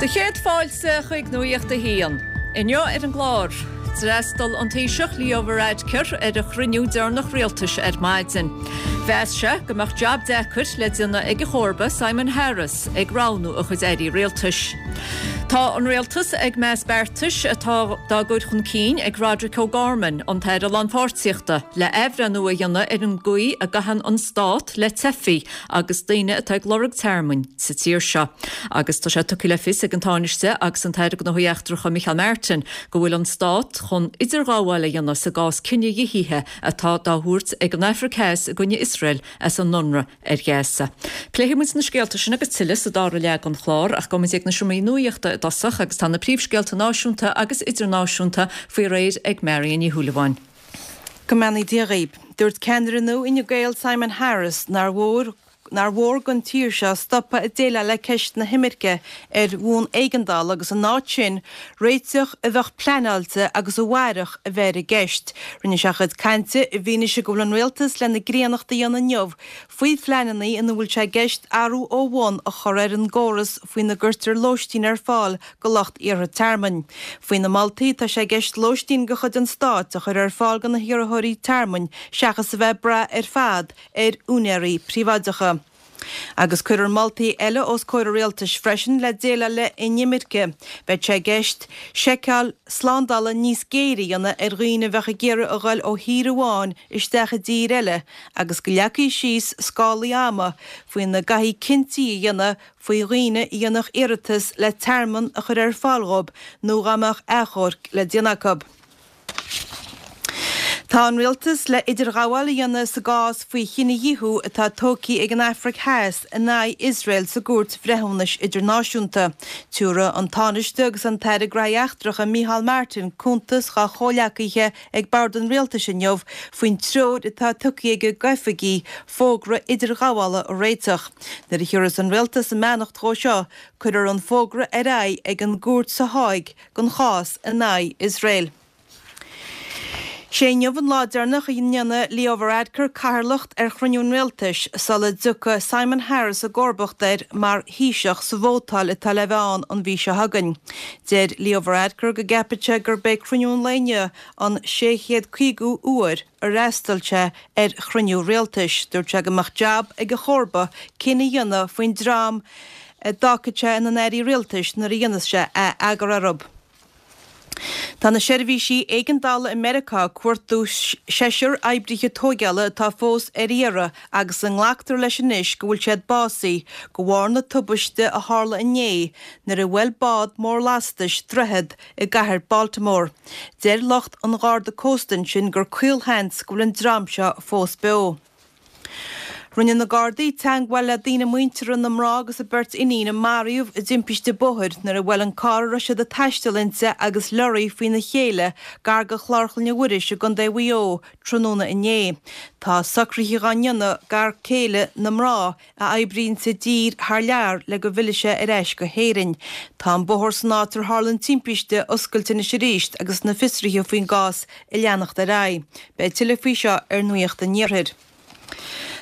Do chéad fáilte chuig Nuacht a hAon. Inniu ar an gclár, d'fhreastail an Taoiseach Leo Varadkar ar a chruinniú deireanach rialtais ar maidin. Mheas sé go mbeadh jab deacair le déanamh ag a chomharba Simon Harris ag roghnú a chuid airí rialtais. Tá an rialtas ag meas beartais atá dá gcur chun cinn ag Roderic O'Gorman, an tAire Lánpháirtíochta, le athbhreithniú a dhéanamh ar an gcaoi a gcaitheann an stát le teifigh agus daoine atá ag lorg tearmainn sa tír seo. Agus tá sé tugtha le fios ag an Tánaiste agus an tAire Gnóthaí Eachtracha Micheál Martin go bhfuil an Stát chun idirghabháil a dhéanamh sa gcás cinedhíothaithe atá dá thabhairt ag an Afraic Theas i gcoinne Iosrael as a n-ionradh ar Ghaza. Pléifidh muid na scéalta sin agus tuilleadh sa dara leath den chlár ach gabhfaidh muid ag na seomraí nuachta i dtosach agus tá na príomhscéalta náisiúnta agus idirnáisiúnta faoi réir ag Marion Ní Shúilleabháin. Go mbeannaí Dia dhaoib. Dúirt ceannaire nua Fhine Gael Simon Harris nár mhór nár mhór don tír seo stopadh ag déileáil le ceist na himirce ar bhonn éigeandála agus in áit sin réiteach a bheadh pleanáilte agus a mhairfeadh a bheith i gceist. Rinne sé a chuid cainte i bhfianaise go bhfuil an rialtas lena gcríonnacht a dhéanamh inniu faoi phleananna ina bhfuil sé i gceist athrú ó bhun a chur ar an gcóras faoina gcuirtear lóistín ar fáil go lucht iarrtha tearmainn. Faoi na moltaí, tá sé i gceist lóistín de chuid an stáit a chur ar fáil do na hiarrthóirí tearmainn seachas a bheith ag brath ar fad ar úinéirí príobháideacha. Agus cuirfear moltaí eile os comhair an rialtais freisin le déileáil le inimirce. Beidh sé i gceist seiceáil slándála níos géire a dhéanamh ar dhaoine a bheadh ag iarraidh a ghoil ó thír amháin isteach i dtír eile agus go leagfaí síos scálaí ama faoina gcaithfí cinntí a dhéanamh faoi dhaoine a dhéanfadh iarratas le tearmann a chur ar fáil dhóibh nó dhá mbeadh achomharc le déanamh acu. Tá an rialtas le idirghabháil a dhéanamh sa gcás faoi chinedhíothú atá tógtha ag an Afraic Theas in aghaidh Iosrael sa gCúirt Bhreithiúnais Idirnáisiúnta. Tiúrfaidh an Tánaiste agus an tAire Gnóthaí Eachtracha Micheál Martin cuntas dhá chomhleacaithe ag bord an rialtais inniu faoin treoir atá tugtha aige d'oifigigh fógra idirghabhála a réiteach. Nuair a thiúrfas an rialtas a mbeannacht dhó seo, cuirfear an fógra ar aghaidh ag an gcúirt sa Háig don chás in aghaidh Iosrael. Sé inniu an lá deireanach a ndéanfaidh Leo Varadkar cathaoirleacht ar chruinniú an rialtais sula dtiocfaidh Simon Harris i gcomharbacht air mar Thaoiseach sa vótáil atá le bheith ann an mhí seo chugainn. Deir Leo Varadkar go gceapann sé gurb é cruinniú an lae inniu an 650ú uair ar fhreastail sé ar chruinniú rialtais. Dúirt sé go mbeadh jab ag a chomharba cinneadh a dhéanamh faoin dream a d'fhágfadh sé ina n-airí rialtais nuair a dhéanfas sé ath-eagar orthu. Tá na seirbhísí éigeandála i Meiriceá ag cuartú seisear oibrithe tóigeála atá fós ar iarraidh agus a nglactar leis anois go bhfuil siad básaithe de bharr na tubaiste a tharla inné nuair a bhuail bád mór lastais droichead i gcathair Baltimore. Deir lucht an Gharda Cósta ansin gur caolsheans go bhfuil an dream seo fós beo. Rinne na Gardaí teagmháil le daoine muinteartha na mná agus a beirt iníon a maraíodh i dtimpiste bóthair nuair a bhuail an carr a raibh siad ag taisteal inti agus leoraí faoina chéile gar do Chlár Chlainne Mhuiris i gContae Mhaigh Eo tráthnóna inné. Tá socruithe dhá ndéanamh d'fhear céile na mná a oibríonn i dtír thar lear le go bhfillfidh sé ar ais go hÉirinn. Tá an bóthar san áit ar tharla an timpiste oscailte anois arís agus na fiosruithe faoin gcás ag leanacht ar aghaidh. Beidh tuilleadh faoi seo ar Nuacht an Iarthair.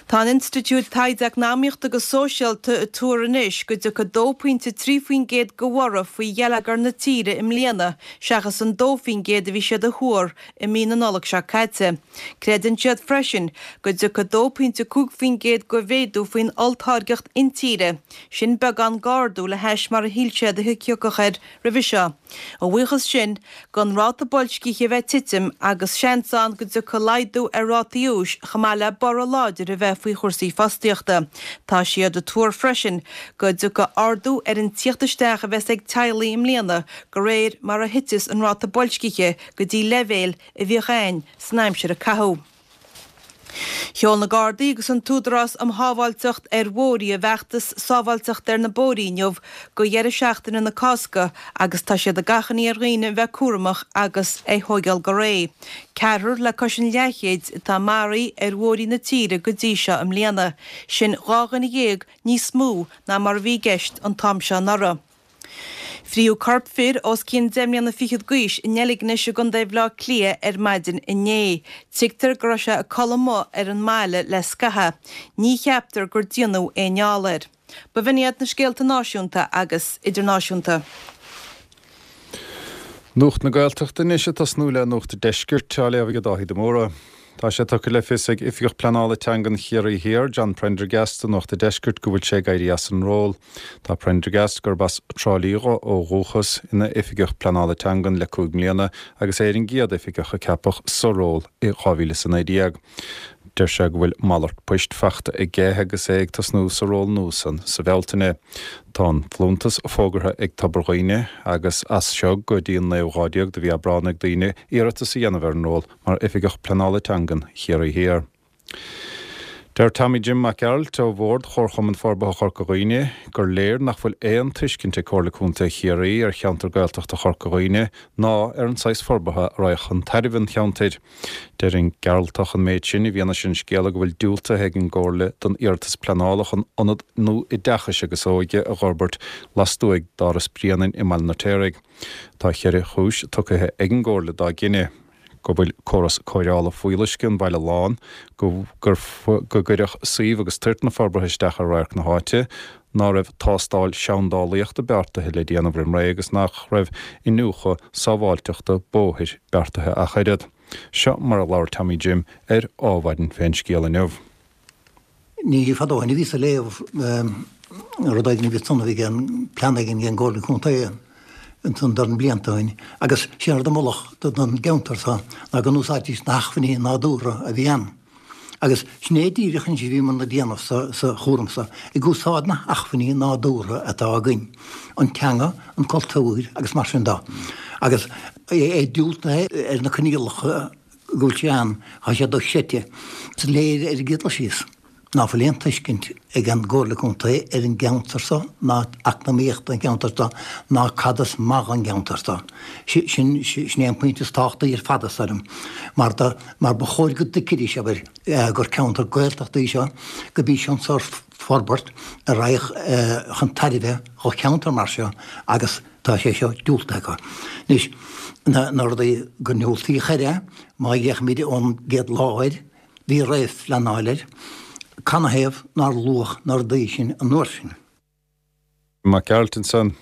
Tá an Institiúid Taighde Eacnamaíochta agus Sóisialta ag tuar anois go dtiocfaidh 2.3% de bhorradh faoi gheilleagar na tíre i mbliana seachas an 2% a bhí siad a thuar i mí na Nollag seo caite. Creideann siad freisin go dtiocfaidh 2.5% de mhéadú faoin olltáirgeacht intíre, sin beagán d'ardú le hais mar a shíl siad a thiocfadh air roimhe seo. A bhuíochas sin don ráta boilscithe a bheith ag titim agus seans ann go dtiocfaidh laghdú ar rátaí úis chomh maith le borradh láidir a bheith faoi chúrsaí fostaíochta. Tá siad ag tuar freisin go dtiocfaidh ardú ar an tíocht isteach a bheas ag teaghlaigh i mbliana de réir mar a thiteas an ráta boilscithe go dtí leibhéil a bhíodh ann san aimsir a caitheadh. Sheol na Gardaí agus an tÚdarás um Shábháilteacht ar Bhóithre a bhfeachtas sábháilteachta ar na bóithrí inniu go dheireadh seachtaine na Cásca agus tá siad ag achainí ar dhaoine a bheith cúramach agus é thóigeáil go réidh. Ceathrar le cois an leathchéid atá maraithe ar bhóithrí na tíre go dtí seo i mbliana, sin 12 dhuine níos mó ná mar a bhí i gceist an t-am seo anuraidh. Frítheadh corp fir os cionn deich mbliana fichead d'aois i nDeilgnis i gContae Bhaile Átha Cliath ar maidin inné. Tuigtear go raibh sé ag codladh amuigh ar an mbaile le scaitheamh. Ní cheaptar gur déanadh aon fheall air. B'in iad na scéalta náisiúnta agus idirnáisiúnta. Nuacht na Gaeltachta anois ag tosnú le Nuacht an Deiscirt, á léamh ag Dáithí de Mórdha. Tá sé tugtha le fios ag Oifigeach Pleanála Teangan Chiarraí Thiar, John Prendergast, do Nuacht an Deiscirt go bhfuil sé ag éirí as an ról. Tá Prendergast, gurb as Trá Lí dho ó dhúchas, ina Oifigeach Pleanála Teangan le 5 mbliana agus é ar an gcéad oifigeach a ceapadh sa ról i 2019. Deir sé go bhfuil malairt poist fachta aige agus é ag tosnú sa ról nua san sa Bhealtaine. Tá an folúntas fógartha ag Tobar Dhuibhne agus as seo go dtí an naoú lá déag de mhí Aibreán ag daoine iarratas a dhéanamh ar an ról mar Oifigeach Pleanála Teangan Chiarraí Thiar. Deir Tommy Jim Mac Gearailt ó Bhord Chomharchumann Forbartha Chorca Dhuibhne gur léir nach bhfuil aon tuiscint ag Comhairle Contae Chiarraí ar cheantar Gaeltachta Chorca Dhuibhne ná ar an saghas forbartha a raghadh chun tairbhe an cheantair. Deir an Gearaltach an méid sin i bhfianaise an scéala go bhfuil diúltaithe ag an gComhairle don iarratas pleanála chun ionad nua oideachais agus óige a dh'fhorbairt lastuaidh d'Áras Bhrianain i mBaile an Fheirtéaraigh. Tá cheithre chúis tugtha ag an gComhairle dá gcinneadh, go bhfuil córas cóireála fuíolluisce an bhaile lán, go gcuirfeadh suíomh agus toirt na forbartha isteach ar radharc na háite, ná raibh tástáil seandálaíochta beartaithe le déanamh roim ré agus nach raibh iniúchadh sábháilteachta bóthair beartaithe ach oiread. Seo mar a labhair Tommy Jim ar Ádhmhaidin fén scéal inniu. Ní fada ó shin a bhíos ag léamh rud éigin a bhí ansan a bhí ag plean éigin ag an gComhairle Contae ansan dorn blianta ó shin agus sé an rud a moladh don gceantar so ná go n-úsáidfidís na hacmhainní nádúrtha a bhí ann. Agus sin é díreach anois a bhíomar ag déanamh sa chúram so, ag úsáid na hacmhainní nádúrtha atá againn, an teanga, an cultúr agus mar sin de. Agus é diúltaithe ar na coinníollacha go bhfuil sé ann, tá sé dochreidte. Is léir ar an gcéad dul síos ná fuil aon tuiscint ag an gComhairle Contae ar an gceantar so ná eacnamaíocht an cheantair so ná cad is maith don gceantar so. Sin é an pointe is tábhachtaí ar fad is dóigh liom mar do mar ba chóir go dtuigfidís, abair, gur ceantar Gaeltachta í seo, gurb í seo an sórt forbairt a raghadh chun tairbhe dho cheantar mar seo agus tá sé seo diúltaithe acu. Anois, na rudaí gur diúltaíodh air é, má fhéachaimid ón gcéad lá air, bhí réamhphleanáil air, canathaobh nár luadh na rudaí sin an uair sin? Mac Gearailt ansan.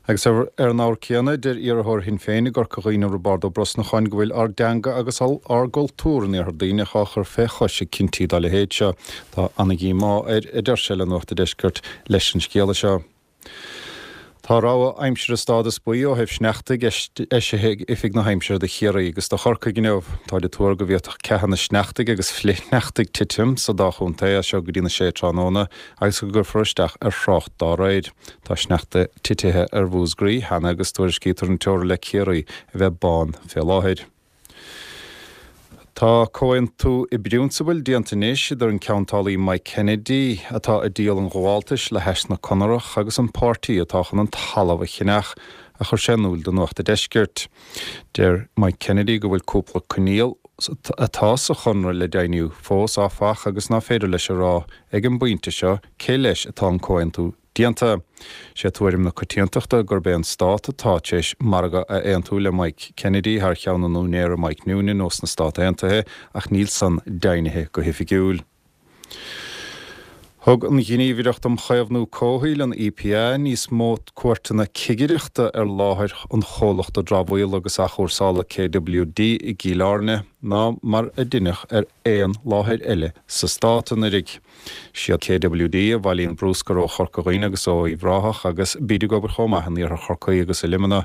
Agus ar an ábhar céanna, deir iarrthóir Shinn Féin i gCorca Dhuibhne Roibeárd Ó Brosnacháin go bhfuil ár dteanga agus ár gcultúr in Iarthar Duibhneach á chur fé chois ag cinntí dá leithéid seo. Tá ana-dhíomá air, a deir sé le Nuacht an Deiscirt, leis an scéala seo. Tá rabhadh aimsire stádas buí ó thaobh sneachtaidh eisithe ag Oifig na hAimsire do Chiarraí agus do Chorcaigh inniu. Táid ag tuar go bhféadfadh ceathanna sneachtaidh agus flichshneachtaidh titim sa dá chontae as seo go dtína sé tráthnóna agus go gcuirfear isteach ar thrácht dá réir. Tá sneachta titithe ar Mhúscraí cheana agus tuairiscítear an teora le Ciarraí a bheith bán fé láthair. Tá comhaontú i bprionsabal déanta anois idir an ceantálaí Mike Kennedy, atá ag díol an ghabháltais le hais na Conarach, agus an páirtí atá chun an talamh a cheannach, a chuir sé in iúl do Nuacht a' Deiscirt. Deir Mike Kennedy go bhfuil cúpla coinníoll atá sa chonradh le deimhniú fós, áfach, agus ná féidir leis a rá ag an bpointe seo cé leis atá an comhaontú déanta. Sé tuairim na coitiantachta gurb é an Stát atá tar éis margadh a aontú le Mike Kennedy thar cheann an úinéara Mike Noonan ós na Stát Aontaithe ach níl san deimhnithe go hoifigiúil. Thug an Ghníomhaireacht um Chaomhnú Comhshaoil, an EPA, níos mó cuairteanna cigireachta ar láthair an chomhlachta dramhaíola agus athchúrsála KWD i gCill Airne ná mar a deineadh ar aon láthair eile sa stát anuraidh. Siad KWD a bhailíonn brúscar ó Chorca Dhuibhne agus ó Uíbh Ráthach agus bíd ag obair chomh maith in iarthar Chorcaí agus i Luimneach.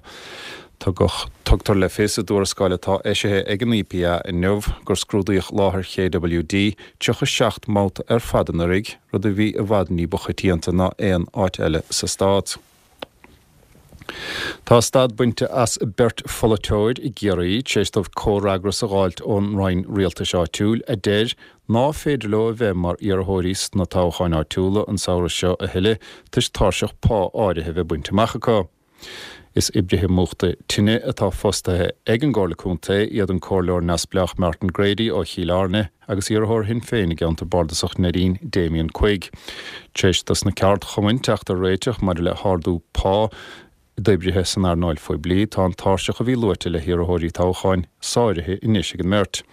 Tugadh Tugtar le fios i dtuarascáil atá eisithe ag an EPA inniu gur scrúdaíodh láthair KWD 37 mbabhta ar fad anuraidh, rud a bhí i bhfad ní ba choitianta ná aon áit eile sa stát. Tá stad bainte as beirt pholaiteoir i gCiarraí tar éis dóibh comhfhreagras a dh'fháilt ón Roinn Rialtais Áitiúil a deir ná féidir leo a bheith mar iarrthóirí sna toghcháin áitiúla an samhradh seo a thuilleadh toisc tairseach pá áirithe a bheith bainte amach acu. Is oibrithe múchta tine atá fostaithe ag an gComhairle Contae iad an Comhairleoir neamhspleách Martin Grady ó Chill Airne agus iarrthóir Shinn Féin i gceantar bardasach Neidín, Damien Quigg. Tar éis dos na ceardchumainn teacht ar réiteach maidir le hardú pá. D'oibrithe san earnáil phoiblí, tá an tairseach a bhí luaite le hiarrthóirí toghcháin sáraithe anois ag an mbeirt.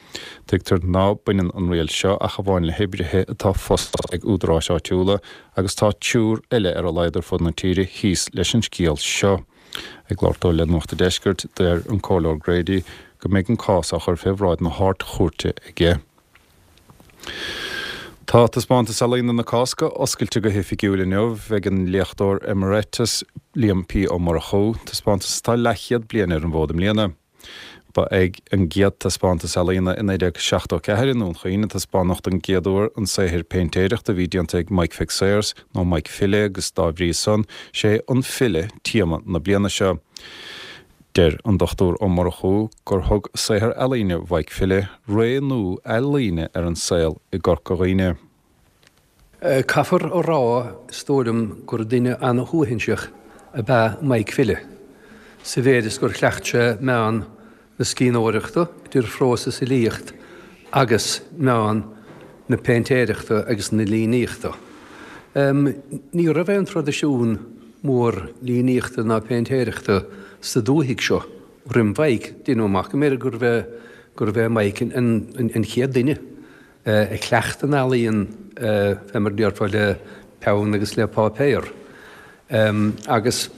Tuigtear ná baineann an riail seo ach amháin le hoibrithe atá fostaithe ag údaráis áitiúla agus tá triúr eile ar a laghad ar fud na tíre thíos leis an scéal seo. Ag labhairt dó le Nuacht an Deiscirt, deir an Comhairleoir Grady go mbeidh an cás á chur fé bhráid na hArd-Chúirte aige. Tá Taispeántas Ealaíne na Cásca oscailte go hoifigiúil inniu ag an léachtóir Emeritus Liam P. Ó Murchú, taispeántas atá leathchéad bliain ar an bhfód i mbliana. Ba ag an gcéad taispeántas ealaíne i 1974 i nDún Chaoin a taispeánadh don gcéad uair an saothar péintéireachta a bhí déanta ag Mike Fitzayres, nó Mike File agus dá bhrí san, sé an file téama na bliana seo. Deir an Dr Ó Murchú gur thug saothar ealaíne Mhaidhc File ré nua ealaíne ar an saol i gCorca Dhuibhne. Caithfear a rá, is dóigh liom, gur duine an-shuaithinseach ab ea Maidhc File, sa mhéid is gur chleacht sé meán na scríbhneoireachta, idir phrós is fhilíocht, agus meán na péintéireachta agus na líníochta. Ní raibh aon traidisiún mór líníochta ná péintéireachta sa dúthaigh seo roimh Mhaidhc. Deineadh amach go mb'fhéidir gurbh é gurbh é Maidhc an chéad duine a chleacht an ealaíon fé mar a déarfá le peann agus le páipéar. Agus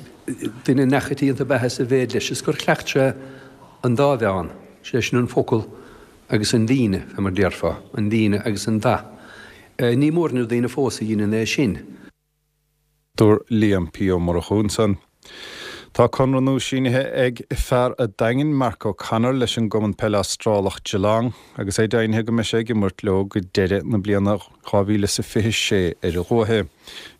duine neachoitianta ab ea é sa mhéid leis is gur chleacht sé an dá mheán, sé sin an focal agus an líne, fé mar a déarfá, an líne agus an dath. Ní mór na daoine fós a dheineann é sin. Dúirt Liam P. Ó Murchú ansan. Tá conradh nua sínithe ag fear a' Daingin, Mark O'Connor, leis an gcumann peile Astrálach Geelong agus é deimhnithe go mbeidh sé ag imirt leo go deireadh na bliana 2026 ar a luaithe.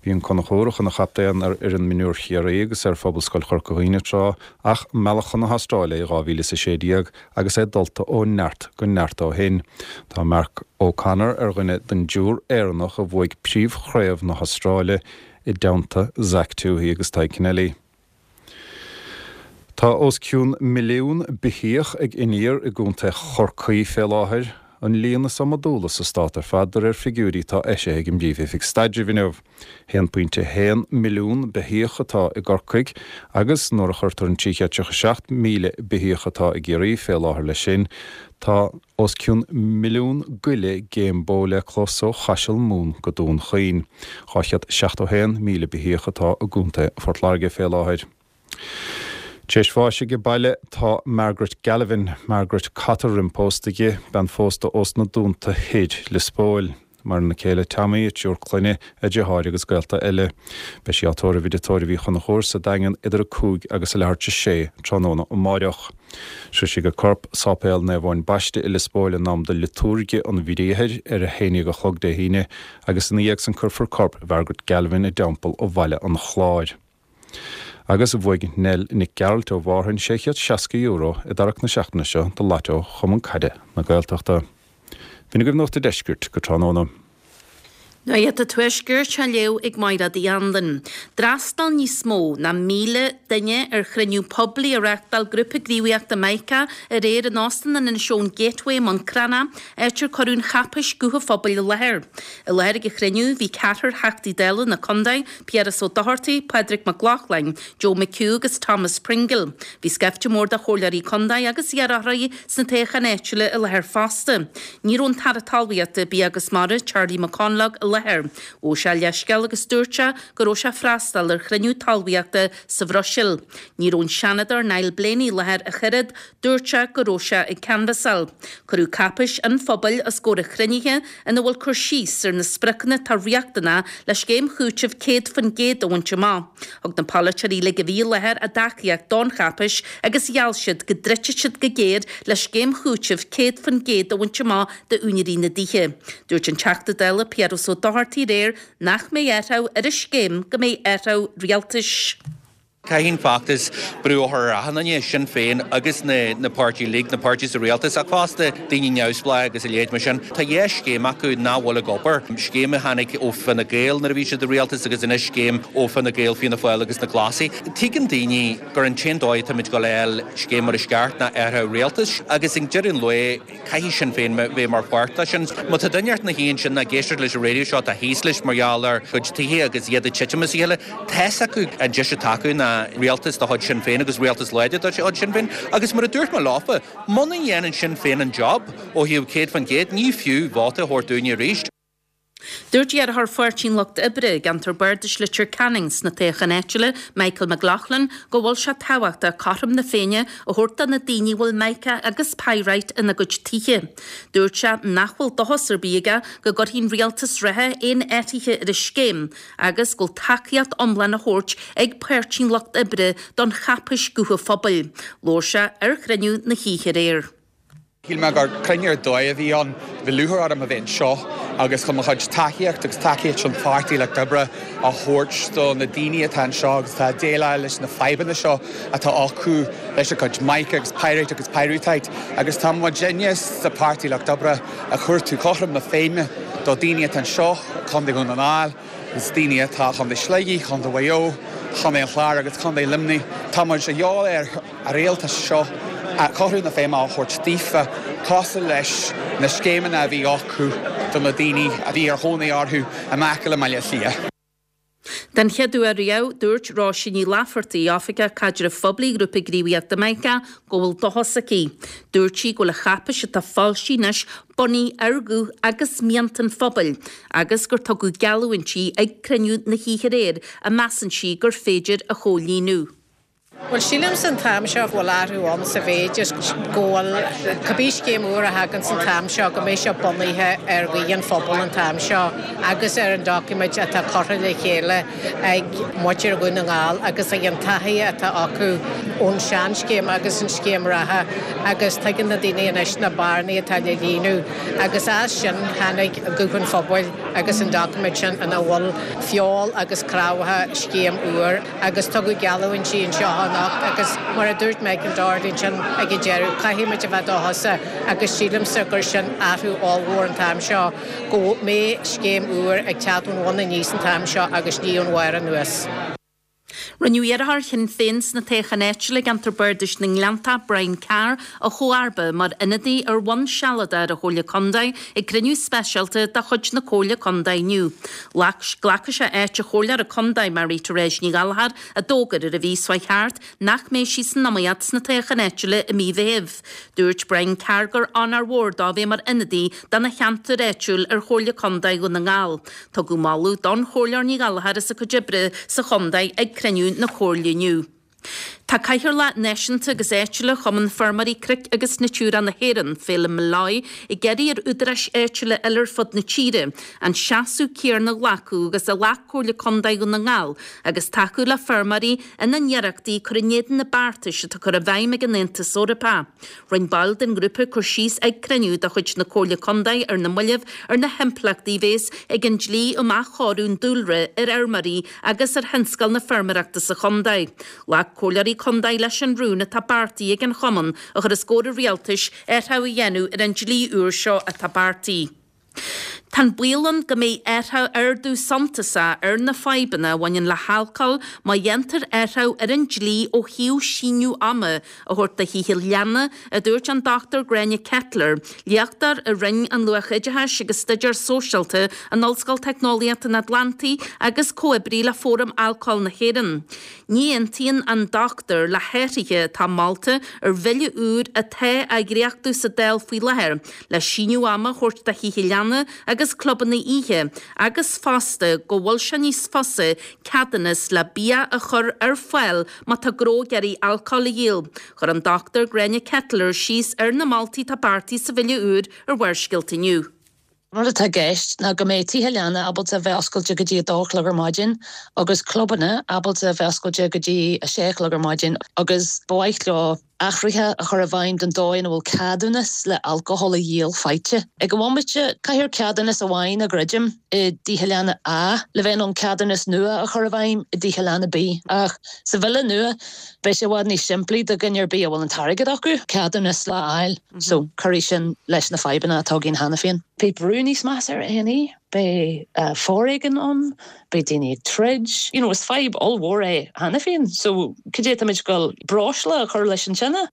Bhí an Conchúrach ina chaptaen ar fhoireann mionúir Chiarraí agus ar Phobalscoil Chorca Dhuibhne tráth ach mealladh chun na hAstráile é i 2016 agus é dulta ó neart go neart ó shin. Tá Mark O'Connor ar dhuine den dtriúr Éireannach a bhuaigh príomhchraobh na hAstráile i dteannta Zach Tuohy agus Tadhg Kennelly. Tá os cionn milliún beithíoch ag iníor i gContae Chorcaí fé láthair, an líon is iomadúla sa stát ar fad de réir figiúirí atá eisithe ag an bPríomh-Oifig Staidrimh inniu. 1.1 milliún beithíoch atá i gCorcaigh agus nuair a chuirtear an 337,000 beithíoch atá i gCiarraí fé láthair leis sin, tá os cionn milliún goile géim bó le clos ó Chaiseal Mumhan go Dún Chaoin. 271,000 beithíoch atá i gContae Phort Láirge fé láthair. Tar éis bháis aige baile tá Margaret Galvin, Margaret Cotter roim pósta di, bean phósta ós na Dúnta Thoir, Lios Póil. Maireann a céile Tommy, a triúr clainne, a deartháir agus gaolta eile. Beidh sí á tórramh i dTigh Tórraimh Uí Chonchúir sa Daingean idir 5 agus a leathuair tar éis 6 tráthnóna amáireach. Sroisfidh a corp Sáipéal Naomh Eoin Baiste i Lios Póil in am do liotúirge an Bhriathair ar a haon déag a chlog Dé hAoine agus ina dhiaidh san cuirfear corp Mhargaret Galvin i dTeampall Bhaile an Chláir. Agus bhuaigh Nell Nic Gearailt ó Mhárthain €660 i dtarrac na seachtaine seo do Lotto Chumann Caide na Gaeltachta. B'in agaibh Nuacht a' Deiscirt go tráthnóna. Nuacht an Tuaiscirt á léamh ag Mairéad Uí Anluain. D'fhreastail níos mó ná 1,000 duine ar chruinniú poiblí a reáchtáil Grúpa Gníomhaíochta Micah aréir in Óstán an Inishowen Gateway i mBun Cranncha, áit ar cuireadh an cháipéis Guth an Phobail i láthair. I láthair ag an chruinniú bhí ceathrar Theachtaí Dála na contae, Piaras Ó Dochartaigh, Pádraig Mac Lochlainn, Joe McHugh agus Thomas Pringle. Bhí scaifte mór de chomhairleoirí contae agus iarrthóirí sna toghcháin áitiúla i láthair fosta. Ní raibh an tAire Talmhaíochta, Bia agus Mara, Charlie McConalogue i láthair. Ghabh sé leithscéal agus dúirt sé go raibh sé ag freastal ar chruinniú talmhaíochta sa Bhruiséil. Ní raibh an Seanadóir Niall Blaney i láthair ach oiread, Dúirt sé go raibh sé ag canbhasáil. Cuireadh cáipéis an phobail os comhair an chruinnithe ina bhfuil cur síos ar na spriocanna atá riachtanach le scéim chúitimh 100% a bhaint amach. Thug na polaiteoirí uilig a bhí i láthair a dtacaíocht don cháipéis agus gheall siad go dtroidfidh siad go géar le scéim chúitimh 100% a bhaint amach d'úinéirí na dtithe. Dúirt an Teachta Dála Piaras Ó Dochartaigh aréir nach mbeidh athrú ar an scéim go mbeidh athrú rialtais. Caithfidh an feachtas brú a chur ar achan duine, Sinn Féin agus na na páirtí uilig, na páirtí sa rialtas ach fosta daoine neamhspleácha agus a leithéid mar sin. Tá dhá scéim acu nach bhfuil ag obair, scéim a tháinig ó Fine Gael nuair a bhí siad i rialtas agus anois scéim ó Fine Gael, Fianna Fáil agus na Glasaigh. Tuigeann daoine gur an t-aon dóigh atáimid ag dul a fháil scéim mar is ceart ná athrú rialtais agus ag deireadh an lae, Caithfidh Sinn Féin bheith mar pháirt de sin. Má tá duine ina shuí ansin ag éisteacht leis an raidió seo atá thíos leis mar gheall ar a gcuid tithe agus iad ag titim as a chéile, tá's acu an deis atá acu ná. mbeadh rialtas de chuid Sinn Féin agus rialtas láidir de chuid Sinn Féin agus mar a dúirt mé leofa, muna ndéanann Sinn Féin an job ó thaobh 100%, ní fiú vóta a thabhairt dúinne arís. Dúirt iarrthóir Pháirtí an Lucht Oibre i gceantar Bardais Leitir Ceanainn sna toghcháin áitiúla, Michael McLaughlin, go bhfuil sé tábhachtach cothrom na Féinne a thabhairt do na daoine a bhfuil mica agus pyrite ina gcuid tithe. Dúirt sé nach bhfuil dóchas ar bith aige go gcuirfidh an rialtas reatha aon athruithe ar an scéim agus go bhfuil tacaíocht iomlán á thabhairt ag Páirtí an Lucht Oibre don cháipéis Guth an Phobail. Labhair sé ar chruinniú na hoíche aréir. Shíl mé gur cruinniú ar dóigh a bhí ann. Bhí lúcháir orm a bheith anseo agus chun mo chuid tacaíocht agus tacaíocht an Pháirtí Lucht Oibre a thabhairt do na daoine atá anseo agus atá ag déileáil leis na fadhbanna seo atá acu leis a gcuid mica agus pyrite agus pyrrhotite agus tá muidinne sa Pháirtí Lucht Oibre ag cuartú cothrom na Féinne do daoine atá anseo i Contae Dhún na nGall agus daoine atá i Chontae Shligigh, Chontae Mhaigh Eo, Chontae an Chláir agus Contae Luimnigh. Tá muid a dhíobháil ar. an rialtas seo cothrom na Féinne a thabhairt daofa, cosúil leis na scéimeanna a bhí acu do na daoine a bhí ar chónaí orthu in aice le Baile Átha Cliath. Den chéad uair riamh, dúirt Róisín Ní Laifeartaigh, Oifigeach Caidrimh Phoiblí Ghrúpa Gníomhaíochta Mica, go bhfuil dóchas aici. Dúirt sí go bhfuil an cháipéis atá foilsithe anois bunaithe ar ghuth agus mianta an phobail agus gur tugadh geallúintí ag cruinniú na hoíche aréir a measann sí gur féidir a chomhlíonadh. Bhuel, sílimse an t-am seo go bhfuil athrú ann sa mhéid is go bhfuil cibé scéim úr a thagann san t-am seo go mbeidh sé bunaithe ar ghuth an phobail an t-am seo agus ar an doiciméid atá curtha le chéile ag muintir Dhún na nGall agus ag an taithí atá acu ón seanscéim agus an scéim reatha agus tuigeann na daoine anois na bearnaí atá le líonadh agus as sin tháinig guth an phobail agus an doiciméad sin ina bhfuil feoil agus craobhacha scéim úr. agus tugadh geallúintí anseo anocht agus mar a dúirt Michael Doherty ansin ag an deireadh, caithfidh muid a bheith dóchasach agus sílimse gur sin athrú ollmhór an t-am seo, go mbeidh scéim úr ag teacht ón bhun aníos an t-am seo agus ní ón bharr anuas. Rinneadh iarrthóir Shinn Féin sna toghcháin áitiúla i gceantar Bardais na nGleanntach, Brian Carr, a chomharba mar ionadaí ar bhonn sealadach ar an Chomhairle Contae ag cruinniú speisialta de chuid na Comhairle Contae inniu. Glacfaidh sé áit an Chomhairleora Contae Marie Therese Ní Ghallchóir a d'fhógair ar an mhí seo thart nach mbeidh sí san iomaíocht sna toghcháin áitiúla i mí Mheithimh. Dúirt Brian Carr gur onóir mhór dó bheith mar ionadaí dona cheantar áitiúil ar Chomhairle Contae Dhún na nGall. Tugadh moladh don Chomhairleoir Ní Ghallchóir as a cuid oibre sa chontae ag cruinniú na Comhairle inniu. Tá Cathaoirleach Náisiúnta agus Áitiúla Chumann Feirmeoirí Cnoic agus Natura na hÉireann, Phelim Molloy, ag iarraidh ar údaráis áitiúla eile ar fud na tíre an seasamh céanna a ghlacadh agus a ghlac Comhairle Contae Dhún na nGall agus tacú le feirmeoirí ina n-iarrachtaí cur in éadan na beartais atá curtha i bhfeidhm ag an Aontas Eorpach. Rinne baill den ghrúpa cur síos ag cruinniú de chuid na Comhairle Contae ar na mallaibh ar na himpleachtaí a bhéas ag an dlí um athchóiriú an dúlra ar fheirmeoirí agus ar thionscal na feirmeoireachta sa chontae. Ghlac comhairleoirí contae leis an rún atá beartaithe ag an chumann a chur os comhair an rialtais athrú a dhéanamh ar an dlí úr seo atá beartaithe. Tá an baol ann go mbeidh athrú ardú suntasach ar na fadhbanna a bhaineann le halcól má dhéantar athrú ar an dlí ó thaobh síneadh ama a thabhairt do thithe leanna, a dúirt an Dr Gráinne Kettler, léachtóir i Roinn an Luath-Oideachais agus Staidéar Sóisialta in Ollscoil Teicneolaíochta an Atlantaigh agus comhoibrí le Fóram Alcóil na hÉireann. Ní aontaíonn an dochtúir le hathruithe atá molta ar bhille úr atá á dhréachtú sa Dáil faoi láthair le síneadh ama a thabhairt do thithe leanna agus clubanna oíche agus fosta go bhfuil sé níos fusa ceadúnas le bia a chur ar fáil má tá gnó ag iarraidh alcól a dhíol. Chuir an Dr Gráinne Kettler síos ar na moltaí atá beartaithe sa bhille úr ar Bharrscéalta inniu. Rud atá i gceist ná go mbeidh tithe leanna ábalta a bheith oscailte go dtí 2 a chlog ar maidin agus clubanna ábalta a bheith oscailte go dtí 6 a chlog ar maidin agus ba mhaith leo athruithe a chur i bhfeidhm don dóigh ina bhfuil ceadúnas le alcóhol a dhíol faighte. Ag an bhomaite, caithfear ceadúnas amháin a dhruidim i dtithe leanna A le bheith in ann ceadúnas nua a chur i bhfeidhm i dtithe leanna B ach sa bhille nua beidh sé i bhfad níos simplí do dhuine ar bith a bhfuil an t-airgead acu ceadúnas le fháil. So, cuirfidh sin leis na fadhbanna atá againn cheana féin. Beidh brú níos measa ar A&E, beidh foréigean ann, beidh daoine ag troid. You know, is fadhb ollmhór é cheana féin. So, cad é táimid ag dul breosla a chur leis an tine?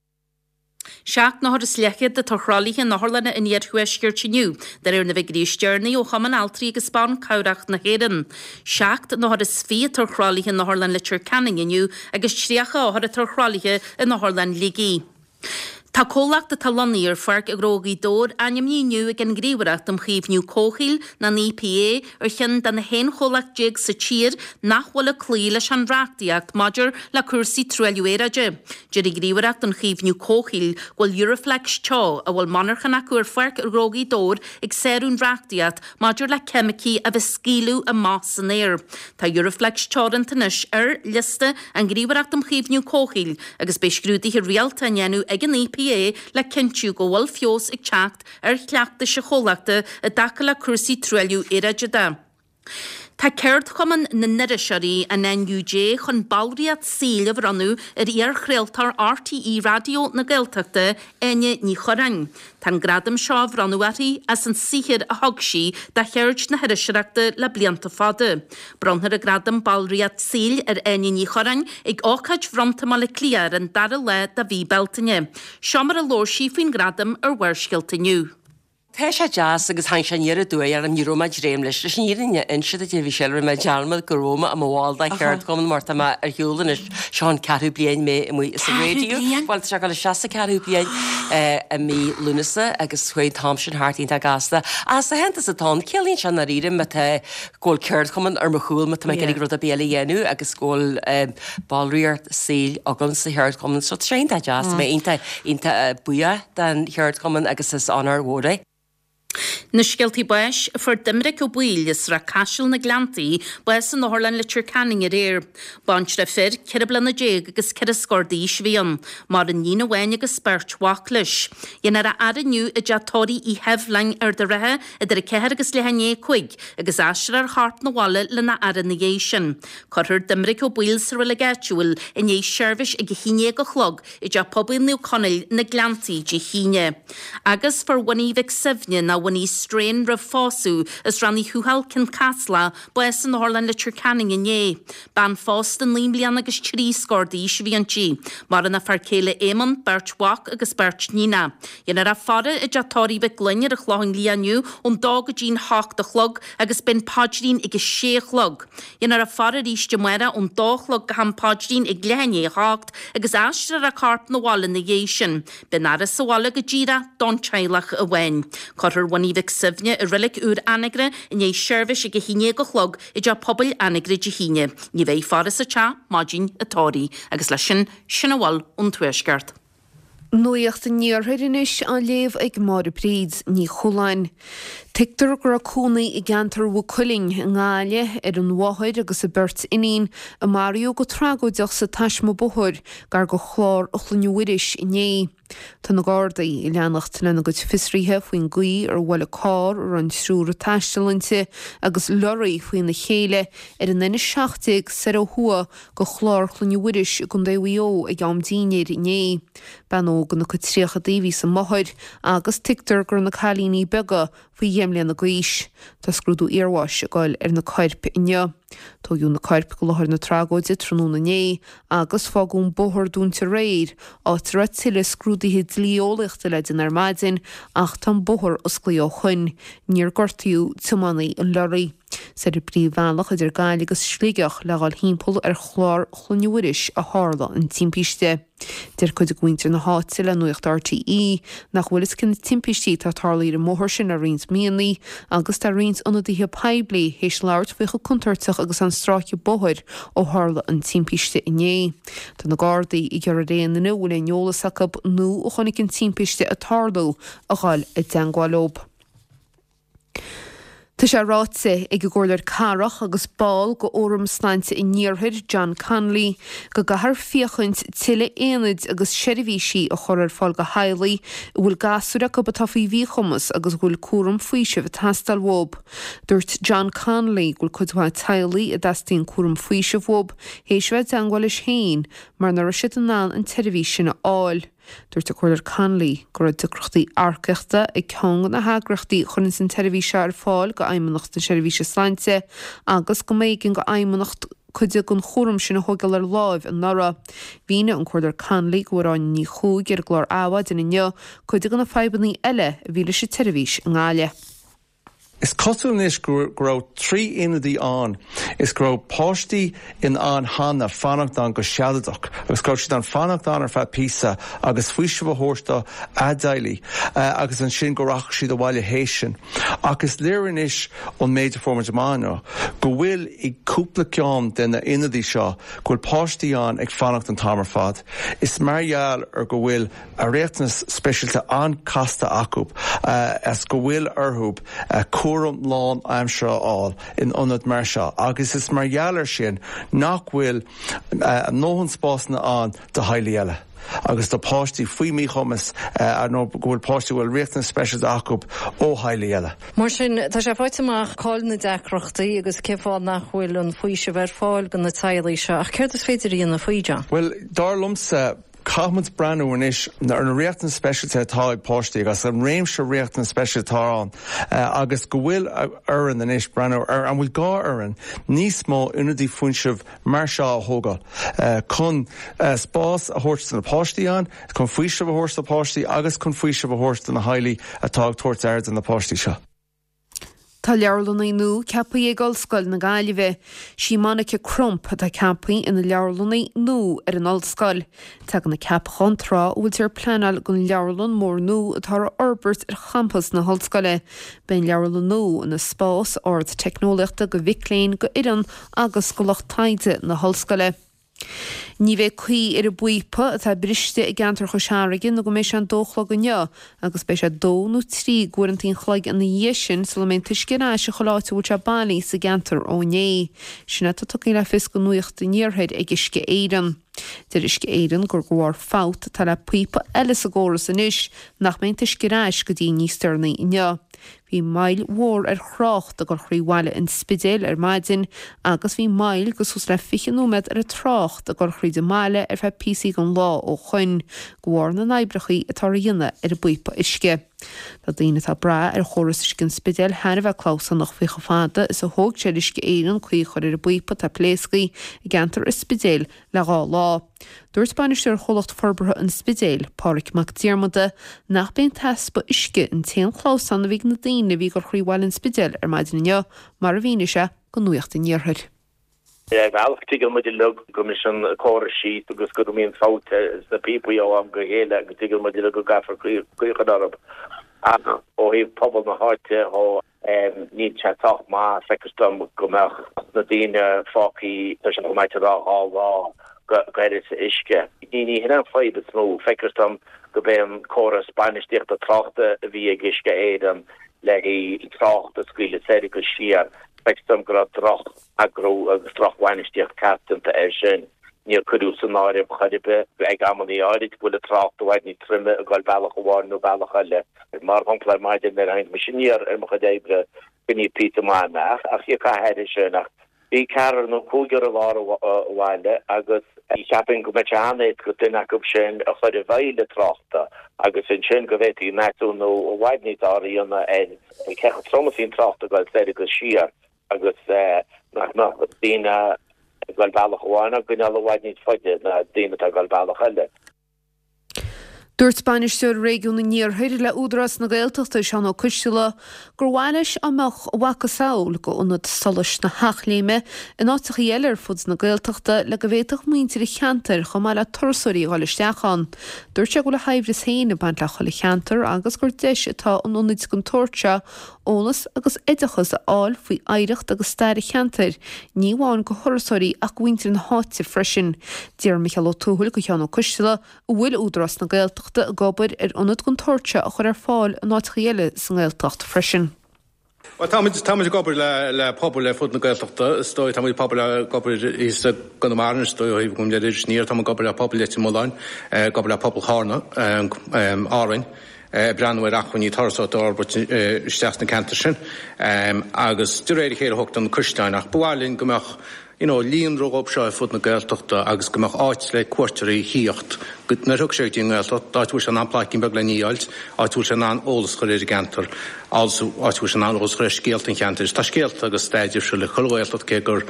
Seacht n-othar is leathchéad atá ar thralaithe in otharlanna an iarthuaiscirt inniu, de réir na bhfigiúirí is deireanaí ó Chumann Altraí agus Ban Cabhrach na hÉireann. 47 atá ar thralaithe in Otharlann Leitir Ceanainn inniu agus 30 othar atá ar thralaithe in Otharlann Shligigh. Tá comhlacht atá lonnaithe ar Pháirc Ghnó Ghaoth Dobhair ainmnithe inniu ag an nGníomhaireacht um Chaomhnú Comhshaoil, nó an EPA, ar cheann den 11 chomhlacht sa tír nach bhfuil ag cloí leis an reachtaíocht maidir le cúrsaí truailliú aeráide. Deir an Ghníomhaireacht um Chaomhnú Comhshaoil go bhfuil Euroflex Teo, a bhfuil monarchan acu ar Pháirc Ghnó Ghaoth Dobhair, ag sárú an reachtaíocht maidir le ceimicí a bheith scaoileadh amach san aer. Tá Euroflex Teoranta anois ar liosta an Ghníomhaireacht um Chaomhnú Comhshaoil agus beidh scrúduithe rialta á ndéanamh ag an EPA le cinntiú go bhfuil feabhas ag teacht ar chleachtais an chomhlachta i dtaca le cúrsaí truailliú aeráide de. Tá Ceardchumann na nIriseoirí, an NUJ, chun ballraíocht saoil a bhronnadh ar iar-chraoltóir RTÉ Raidió na Gaeltachta, Áine Ní Churráin. Tá an gradam seo á bhronnadh uirthi as an saothar a thug sí do cheird na hiriseoireachta le blianta fada. Bronnfar an gradam Ballraíocht Saoil ar Áine Ní Churráin ag ócáid bhronnta i mBaile Átha Cliath ar an dara lá de mhí Bealtaine. Seo mar a labhair sí faoin ngradam ar Bharrscéalta inniu. Tá sé deas agus tháinig sé aniar aduaidh orm, ní raibh mé ag dréim leis. Leis an fhírinne a inse duit, a Mhichelle, rinne mé dearmad go raibh mé i mo bhall de cheardchumann mar tá mé ar shiúl anois, seo an ceathrú bliain mé amuigh sa raidió. Bhuel, tá sé ag dul isteach sa ceathrú bliain i mí Lúnasa agus chuaigh an t-am sin thart iontach gasta. Ach is aitheantas atá ann, ciallaíonn sé i ndáiríre má tá, go bhfuil ceardchumann ar mo chúl má tá mé ag iarraidh rud ar bith eile a dhéanamh agus go bhfuil ballraíocht saoil agam sa cheardchumann. So tá sé iontach deas, tá mé iontach Iontach buíoch don cheardchumann agus is onóir mhór é. Na scéaltaí báis, Fuair Doiminic Ó Baoill as Srath Caisil na Gleanntaí bás in Otharlann Leitir Ceanainn aréir. Baintreach fir, 14 bliana agus ceithre scór d'aois a bhí ann. Maireann níon amháin agus beirt mhac leis. Dhéanfar a fhaire inniu i dteach tórraimh Uí Sheibhleáin, Ard an Rátha, idir 4 agus leath i ndiaidh 5, agus aistreofar a chorp 'na bhaile lena fhaire ina dhiaidh sin. Cuirfear Doiminic Ó Baoill sa reilig áitiúil i ndiaidh seirbhís ag 11 a chlog i dTeach Pobail Naomh Conaill, na Gleanntaí, Dé hAoine. Agus fuair Winnie Mhic Suibhne, nó Winnie Strain roimh phósadh, as Rann Uí Thuathail, Cionn Caslach, bás in Otharlann Leitir Ceanainn inné. Bean phósta naoi mbliana agus trí scór d'aois a bhí inti. Maireann a fear céile Éamonn, beirt mhac agus beirt níonach. Dhéanfar a faire i dTeach Tórraimh Mhic Gloinn ar an Chlochán Liath inniu ón dó go dtí'n hocht a chlog agus beidh an paidrín ag a sé a chlog. Dhéanfar a faire arís amárach ón dó a chlog go ham paidrín ag leath i ndiaidh a hocht agus aistreofar a corp 'na bhaile ina dhiaidh sin. Beidh an fhaire sa bhaile go díreach don teaghlach amháin. Cuirfear Winnie Mhic Suibhne i reilig úr Anagaire i ndiaidh seirbhís ag a haon déag a chlog i dTeach Pobail Anagaire Dé hAoine. Ní bheidh faire sa teach maidin an tórraimh. Agus leis sin, sin a bhfuil ón Tuaisceart. Nuacht an Iarthair anois á léamh ag Máire Bríd Ní Chualáin. Tuigtear go raibh cónaí i gceantar Mhaigh Cuilinn i nGaillimh ar an mháthair agus a beirt iníon a maraíodh go tragóideach sa taisme bóthair gar do Chlár Chlainne Mhuiris inné. Tá na Gardaí ag leanacht lena gcuid fiosruithe faoin gcaoi ar bhuail carr a raibh an triúr ag taisteal inti agus leoraí faoina chéile ar an N17 soir ó thuaidh go Chlár Chlainne Mhuiris i gContae Mhaigh Eo ag am dinnéir inné. Bean óg ina cuid tríochadaí a bhí sa máthair agus tuigtear go raibh na cailíní beaga faoi dheich mbliana d'aois. Tá scrúdú iarbháis ag dul ar na coirp inniu. Tóigeadh na coirp go láthair na tragóide tráthnóna inné agus fágadh an bóthar dúnta aréir, áit a raibh tuilleadh scrúduithe dlí-eolaíochta le déanamh ar maidin ach tá an bóthar osclaithe ó shoin. Níor gortaíodh tiománaí an leoraí. Is ar an bpríomhbhealach idir Gaillimh agus Sligeach le dhul thimpeall ar Chlár Chlainne Mhuiris a tharla an timpiste. Deir cuid de mhuintir na háite le Nuacht RTÉ nach bhfuil fhios cé na timpistí atá tarlaithe ar an mbóthar sin le roinnt míonna agus tá roinnt ionadaithe poiblí théis labhairt faoi chomh contúirteach agus an stráice bóthair ó tharla an timpiste inné. Tá na Gardaí ag iarraidh ar aon duine a bhfuil aon eolas acu nó a chonaic an timpiste ag tarlú a dhul i dteangmháil leo. Tá sé ráite ag an gComhairleoir Cathrach agus ball de Fhóram Sláinte an Iarthair, John Connolly, go gcaithfear féachaint tuilleadh aonaid agus seirbhísí a chur ar fáil do theaghlaigh a bhfuil gasúir acu atá faoi mhíchumas agus a bhfuil cúram faoisimh ag teastáil uathu. Dúirt John Connolly go bhfuil cuid mhaith teaghlaigh a dteastaíonn cúram faoisimh uathu théis a bheith i dteangmháil leis féin mar nach raibh siad in ann an tseirbhís sin a fháil. Dúirt an Comhairleoir Connolly go raibh deacrachtaí earcaíochta ag ceann de na heagraíochtaí a chuireanns an tseirbhís seo ar fáil go Fheidhmeannacht na Seirbhíse Sláinte agus go mb'éigean go Fheidhmeannacht. cuid den chúram sin a thógáil ar láimh anuraidh. Mhínigh an Comhairleoir Connolly do Mháire Áine Ní Chuaig ar an gclár Adhmhaidin inniu cuid de na fadhbanna eile a bhí leis an tseirbhís i nGaillimh. Is cosúil anois go raibh 3 ionadaí ann is go raibh páistí in ann cheana fanacht ann go sealadach agus go raibh siad in ann fanacht ann ar feadh píosa agus faoiseamh a thabhairt do a dteaghlaigh agus ansin go rachadh siad abhaile théis sin. Ach is léir anois ón méid a fuair muid amach inniu go bhfuil i gcúpla ceann de na ionadaí seo go bhfuil páistí ann ag fanacht an t-am ar fad. Is mar gheall ar go bhfuil a riachtanas speisialta an-chasta acu is go bhfuil orthu cúram lán-aimseartha a fháil in ionad mar seo agus is mar gheall air sin nach bhfuil a ndóthain spásanna ann do theaghlaigh eile agus do pháistí faoi mhíchumas nó go bhfuil páistí a bhfuil riachtanas speisialta acu ó theaghlaigh eile. Mar sin, tá sé faighte amach cá'il na deacrachtaí agus cén fáth nach bhfuil an faoiseamh ar fáil do na teaghlaigh seo ach céard is féidir a dhéanamh faoi, John? Bhuel, dar liomsa, Caithfimid breathnú anois ar na riachtanais speisialta atá ag páistí agus an réimse riachtanas speisialta atá ann agus go bhfuil orainn anois breathnú ar an bhfuil gá orainn níos mó ionadaí faoisimh mar seo a thógáil chun spás a thabhairt do na páistí ann, chun faoiseamh a thabhairt do páistí agus chun faoiseamh a thabhairt do na theaghlaigh atá ag tabhairt aire do na páistí seo. Tá leabharlannaí nua ceaptha ag Ollscoil na Gaillimhe. Sí Monica Crump atá ceaptha ina leabharlannaí nua ar an ollscoil. Tagann an ceapachán tráth a bhfuiltear ag pleanáil don leabharlann mór nua atá á fhorbairt ar champas na hollscoile. Beidh an leabharlann nua ina spás ardteicneolaíochta do mhic léinn, do fhoireann agus do lucht taighde na hollscoile. Ní bheidh caoi ar an bpíopa atá briste i gceantar Chois Fharraige nó go mbeidh sé an dó a chlog inniu agus beidh sé dó nó trí d'uaireanta an chloig ina dhiaidh sin sula mbeidh an t-uisce ar ais i chuile áit a bhfuil sé bailithe sa gceantar ó inné. Sin atá tugtha le fios do Nuacht an Iarthair ag Uisce Éireann. Deir Uisce Éireann gur de bharr fabht atá le píopa eile sa gcóras anois nach mbeidh an t-uisce ar ais go dtí níos deireanaí inniu. Bhí moill mhór ar thrácht ag dul thrí bhaile an Spidéil ar maidin agus bhí moill de suas le 20 nóiméad ar an trácht ag dul thríd an mbaile ar feadh píosaí den lá ó shoin, de bharr na n-oibreachaí atá ar dhéanamh ar an bpíopa uisce. Tá daoine atá ag brath ar chóras uisce an Spidéil thar a bheith clamhsánach faoi chomh fada is a thóg sé ar Uisce Éireann caoi a chur ar an bpíopa atá pléasctha i gceantar an Spidéil le dhá lá. Dúirt bainisteoir Chomhlacht Forbartha an Spidéil, Pádhraic Mac Diarmada, nach b'é an t-easpa uisce an t-aon chlamhsán a bhí ag na daoine a bhí ag dul thrí bhaile an Spidéil ar maidin inniu, mar a mhínigh sé do Nuacht an Iarthair. Ar bhealach, tuigeann muid uilig go mbriseann córais síos agus go mbíonn fabht sna píopaí ó am go chéile agus tuigeann muid uilig go gcaithfear caoi a chur orthu. Ach ó thaobh pobal na háite dhó, Níl sé sách maith, feictear dom, go mbeadh na daoine fágtha, tá sé chomh maith a rá, dhá lá gan uisce. Ní hin an fadhb is mó. Feictear dom gurb é an córas bainistíochta tráchta a bhí ag Uisce Éireann le haghaidh trácht a scaoileadh soir agus siar, feictear dom go raibh droch-eagrú agus droch-bhainistíocht ceart déanta air sin. Níor cuireadh san áireamh chor ar bith ag amannaí áirid go bhfuil an trácht i bhfad níos troime ag dul bealach amháin nó bealach eile. Mar shampla, ar maidin nuair a tháinig mise aniar ar mo chuid oibre, choinnigh píosa maith mé ach thiocfá thairis sin ach bhí ceathrar nó cúigear i lár an bhaile agus cheapfainn go mbeadh sé an-éasca duine acu sin a chur i bhfeighil an tráchta agus ansin go bhféadfaí measúnú i bhfad níos fearr a dhéanamh ar cé chomh trom is a bhí an trácht ag dul soir agus siar. agus nach mbeadh daoine ag dul bealach amháin á gcoinneáil i bhfad níos faide ná daoine atá ag dul bealach eile. Dúirt Bainisteoir Réigiún an Iarthair le Údarás na Gaeltachta, Seán Ó Coistealbha, gur mhaith leis dá mbeadh a mhacasamhail d'Ionad Solais na hEachléime in áiteachaí eile ar fud na Gaeltachta le go bhféadfadh muintir an cheantair chomh maith le turasóirí a dhul isteach ann. Dúirt sé go bhfuil a shaibhreas féin ag baint le chuile cheantar agus gur deis atá in ionaid den tsórt seo eolas agus oideachas a fháil faoi oidhreacht agus stair an cheantair, ní amháin go thurasóirí ach go mhuintir na háite freisin. D'iarr Micheál Ó Tuathail go Sheán Ó Coistealbha an bhfuil Údarás na Gaeltachta ag obair ar ionad den tsórt seo a chur ar fáil in áiteachaí eile sa nGaeltacht freisin. Bhuel, táimid, táimid ag obair le, le pobail ar fud na Gaeltachta, is dóigh, táimid pobail ag obair thíos i gConamara, is dóigh, ó thaobh gabhaim le Inis Oírr, táimid ag obair le pobal Leitir Mealláin, ag obair le pobal Chárna, Árainn. ag breathnú ar acmhainní turasóireachta a fhorbairt isteach sna ceantair sin agus de réir a chéile thógtar na caisleáin ach ba mhaith linn go mbeadh you know líonra dhóibh seo ar fud na Gaeltachta agus go mbeadh áit le cuairteoirí thíocht. Nuair a thiocfaidh sé go dtí an nGaeltacht, áit a bhfuil sé in ann pláicín beag le ní a fháilt, áit a bhfuil sé in ann eolas a chur ar an gceantar, áit a bhfuil sé in ann eolas a chur ar scéalta an cheantair. Tá scéalta agus stair difriúil ag chuile Ghaeltacht, cé gur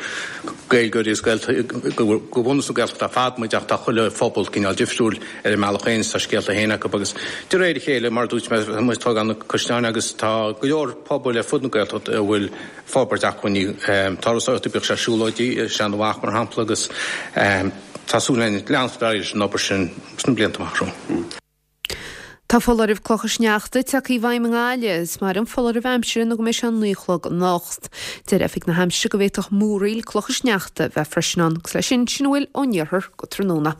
Gaeilgeoirí agus Gaeltacht de bhunús na Gaeltachta ar fad muid ach tá chuile phobal cineál difriúil ar a mbealach féin is tá scéalta féin acu agus de réir a chéile, mar a dúirt mé, tá muid ag tógáil na caisleáin agus tá go leor pobail ar fud na Gaeltachta a bhfuil forbairt acmhainní turasóireachta, bíodh sé siúlóidí i Seanadh Mhach mar shampla agus tá súil againn leanacht ar aghaidh leis an obair sin sna blianta amach romhainn. Tá foláireamh clocha sneachta tagtha i bhfeidhm i nGaillimh is mairfidh an foláireamh aimsire nó go mbeidh sé 9 a chlog anocht. Deir Oifig na hAimsire go bhféadfadh múraíl clocha sneachta bheith freisin ann. Agus leis sin, sin a bhfuil ón iarthar go tráthnóna.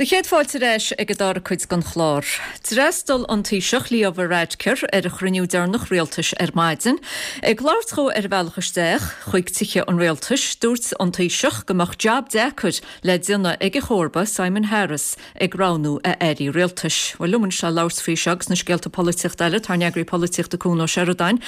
Do chéad fáilte ar ais ag an dara cuid den chlár. D'fhreastail an Taoiseach Leo Varadkar ar a chruinniú deireanach rialtais ar maidin. Ag labhairt dhó ar a bhealach isteach chuig Tithe an Rialtais, dúirt an Taoiseach go mbeadh jab deacair le déanamh ag a chomharba Simon Harris ag roghnú a airí rialtais. Bhuel, liom anois le labhairt faoi seo agus na scéalta polaitíochta eile, tá ár n-eagraí polaitíochta Cuan Ó Seireadáin.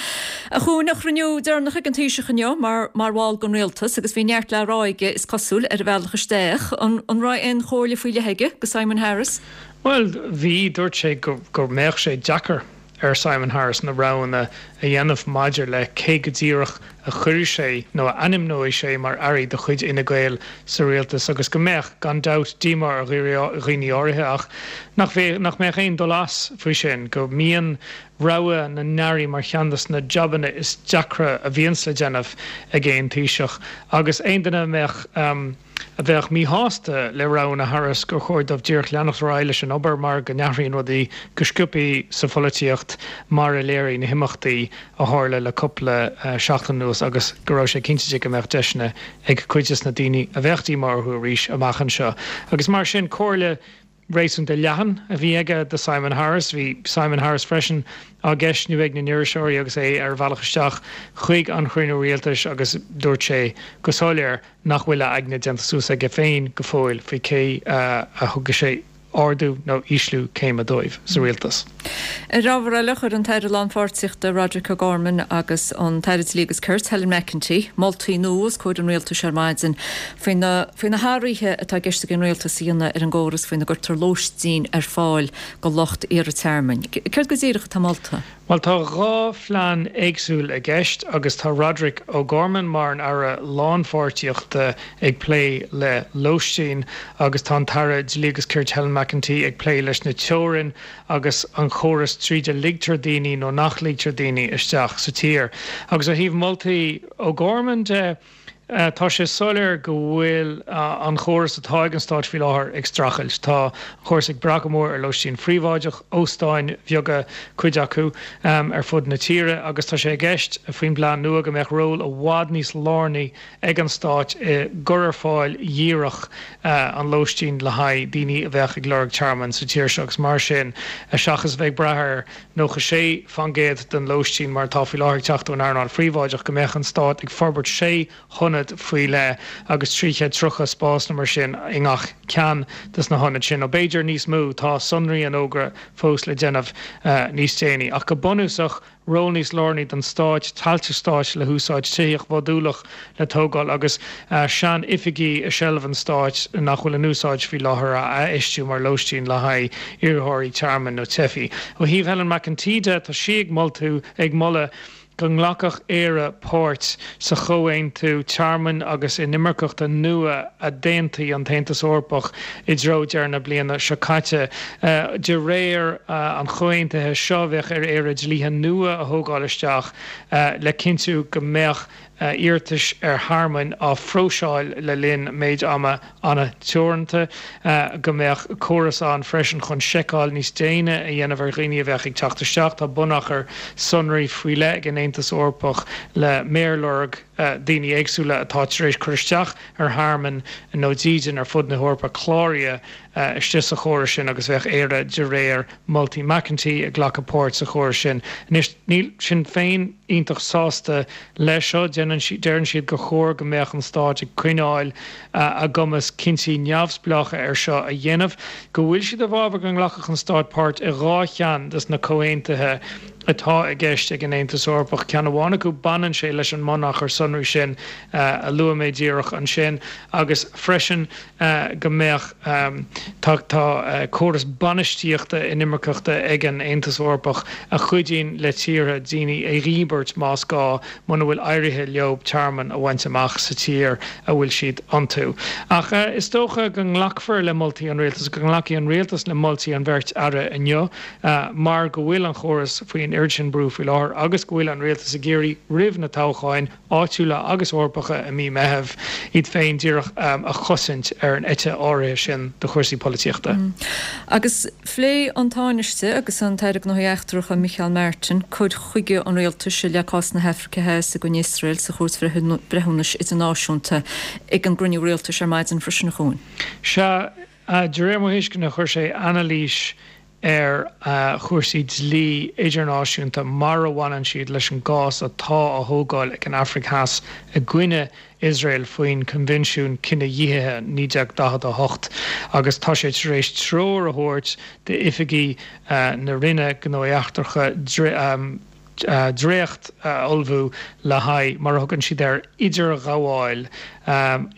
A Chuain, an cruinniú deireanach ag an Taoiseach inniu mar mar bhall den rialtas agus bhí neart le rá aige, is cosúil, ar a bhealach isteach. An an raibh aon chomhairle faoi leith aige do Simon Harris? Bhuel, bhí. Dúirt sé go go mbeadh sé deacair ar Simon Harris na roghanna a dhéanamh maidir le cé go díreach a chuirfidh sé nó a ainmneoidh sé mar airí de chuid Fhine Gael sa rialtas agus go mbeadh, gan dabht, díomá ar dhaoine áirithe ach nach mbeadh aon dul as faoi sin, go mbíonn rogha na n-airí mar cheann de na jabanna is deacra a bhíonns le déanamh ag aon Taoiseach agus aon duine a mbeadh. a bheadh míshásta le roghanna Harris gur chóir dóibh díreach leanacht ar aghaidh leis an obair mar go n-athraíonn rudaí go sciobthaí sa pholaitíocht mar a léirigh na himeachtaí a tharla le cúpla seachtain anuas agus go raibh sé cinnte de go mbeadh deiseanna ag cuid des na daoine a bheadh díomá orthu arís amach anseo agus mar sin comhairle réasúnta leathan a bhí aige do Simon Harris. Bhí Simon Harris freisin á gceistniú ag na n-iriseoirí agus é ar a bhealach isteach chuig an chruinniú rialtais agus dúirt sé go soiléir nach bhfuil a aigne déanta suas aige féin go fóill faoi cé a thugfaidh sé ardú nó ísliú céime dóibh sa rialtas. Ar ábhar eile, chuir an tAire Lánpháirtíochta Roderic O'Gorman agus an tAire Dlí agus Cirt Helen McEntee moltaí nua os comhair an Rialtais ar maidin faoi na faoi na hathruithe atá i gceist ag an Rialtas a dhéanamh ar an gcóras faoina gcuirtear lóistín ar fáil do lucht iarrtha tearmainn. Céard go díreach atá molta? Bhuel, tá 2 phlean éagsúil i gceist agus tá Roderic O'Gorman mar an Aire Lánpháirtíochta ag plé le lóistín agus tá an tAire Dlí agus Cirt Helen McEntee ag plé leis na teorainn agus an chóras tríd a ligtear daoine nó nach ligtear daoine isteach sa tír. Agus ó thaobh moltaí O'Gorman de, Tá sé soiléir go bhfuil an chóras atá ag an Stáit faoi láthair ag streachailt. Tá an chóras ag brath go mór ar lóistín phríobháideach, óstáin bheaga cuid acu, ar fud na tíre agus tá sé i gceist faoin bplean nua go mbeadh ról i bhfad níos lárnaí ag an Stáit i gcur ar fáil dhíreach an lóistín le haghaidh daoine a bheadh ag lorg tearmainn sa tír seo agus mar sin seachas a bheith ag brath ar 96% den lóistín mar atá faoi láthair ag teacht ón earnáil phríobháideach, go mbeadh an Stát ag forbairt sé hionad faoi leith agus 330 spás nó mar sin i ngach ceann de na hionaid sin, nó b'fhéidir níos mó, tá sonraí an fhógra fós le déanamh níos déanaí. Ach go bunúsach, ról níos lárnaí don Stáit, tailte stáit le húsáid, tithíocht mhodúlach le tógáil agus sean-oifigí i seilbh an stáit nach bhfuil in úsáid faoi láthair a athfheistiú mar lóistín le haghaidh iarrthóirí tearmainn nó teifigh. Ó thaobh Helen McEntee de, tá sí ag moltú, ag moladh go nglacfadh Éire páirt sa chomhaontú tearmainn agus inimirceachta nua a d'aontaigh an tAontas Eorpach i dtreo deireadh na bliana seo caite. De réir an chomhaontaithe seo, bheadh ar Éire dlíthe nua a thógáil isteach le cinntiú go mbeadh iarratais ar thearmainn á phróiseáil le linn méid ama an-teoranta, go mbeadh córas ann freisin chun seiceáil níos déine a dhéanamh ar dhaoine a bheadh ag teacht isteach. Tá bunachar sonraí faoi leith ag an Aontas Eorpach le méarloirg daoine éagsúla atá tar éis cur isteach ar thearmann nó dídean ar fud na hEorpa cláraithe istigh sa chóras sin agus bheadh Éire de réir moltaí McEntee ag glacadh páirt sa chóras sin. Anois, níl Sinn Féin iontach sásta leis seo. Deireann siad gur chóir go mbeadh an Stát ag coinneáil a gcumas cinntí neamhspleácha ar seo a dhéanamh, go bhfuil siad i bhfabhar go nglacfadh an Stát páirt i 2 cheann des na comhaontuithe. atá i gceist ag an Aontas Eorpach. Ceann amháin acu, baineann sé leis an mbunachar sonraí sin a luaigh mé díreach ansin agus freisin go mbeadh, tá, tá córas bainistíochta inimirceachta ag an Aontas Eorpach a chuidíonn le tíortha daoine a dhíbirt más gá muna bhfuil éirithe leo tearmann a bhaint amach sa tír a bhfuil siad iontu. Ach is dócha go nglacfar le moltaí an rialtais, go nglacfaidh an rialtas le moltaí an bheirt aire inniu mar go bhfuil an chóras faoi an oiread sin brú faoi láthair agus go bhfuil an rialtas ag iarraidh roimh na toghcháin áitiúla agus Eorpacha i mí Meithimh, iad féin díreach a chosaint ar an eite áirithe sin de chúrsaí polaitíochta. Agus phléigh an Tánaiste agus an tAire Gnóthaí Eachtracha Micheál Martin cur chuige an rialtais i leith cás na hAfraice Theas i gcoinne Iosrael sa Chúirt Bhreithiúnais Idirnáisiúnta ag an gcruinniú rialtais ar maidin freisin, a Chuain. Sea, de réir mo thuisceana chuir sé anailís ar chúrsaí dlí idirnáisiúnta mar a bhaineann siad leis an gcás atá á thógáil ag an Afraic Theas i gcoinne Iosrael faoin Coinbhinsiún Cinedhíothaithe 1948 agus tá sé tar éis treoir a thabhairt d'oifigigh na Roinne Gnóthaí Eachtracha dréacht a ullmhú le haghaidh, mar a thugann siad air, idirghabháil,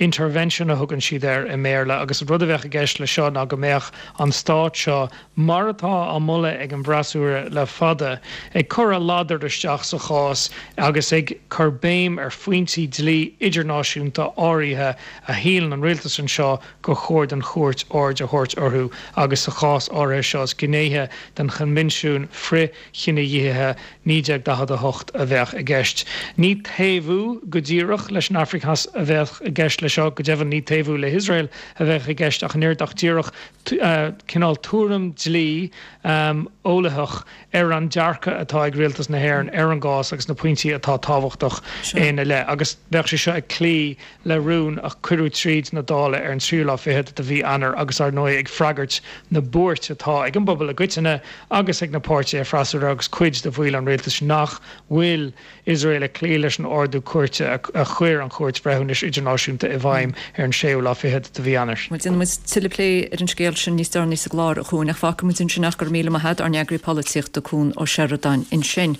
intervention a thugann siad air i mBéarla, agus an rud a bheadh i gceist leis seo ná go mbeadh an stát seo, mar atá á moladh ag an bhfreasúra le fada, ag cur a ladar isteach sa chás agus ag cur béim ar phointí dlí idirnáisiúnta áirithe a shíleann an rialtas anseo gur chóir don chúirt aird a thabhairt orthu agus sa chás áirithe seo is gnéithe den Choinbhinsiún Frith Chinedhíothaithe 1948 a bheadh i gceist. Ní taobhú go díreach leis an Afraic Theas a bheadh i gceist leis seo, go deimhin ní taobhú le hIosrael a bheadh i gceist ach an oiread ach díreach cineál tuairim dlí eolaíoch ar an dearcadh atá ag Rialtas na hÉireann ar an gcás agus na pointí atá tábhachtach ina leith. Agus bheadh sé seo ag cloí le rún a cuireadh tríd na Dála ar an tríú lá fichead de mhí Eanáir agus ar ndóigh ag freagairt na buairt atá ag an bpobal i gcoitinne agus ag na páirtithe freasúra agus cuid de bhaill an rialtais nach bhfuil Iosrael ag cloí leis an ordú cúirte a chuir an Chúirt Bhreithiúnais Idirnáisiúnta i bhfeidhm ar an séú lá fichead de mhí Eanáir. Bhuel, déanfaidh muid tuilleadh plé ar an scéal sin níos deireanaí sa gclár, a Chuain, ach fágfaidh muid ansin ach go raibh míle maith a't, ár n-eagraí polaitíochta, Cuan Ó Seireadáin, ansin.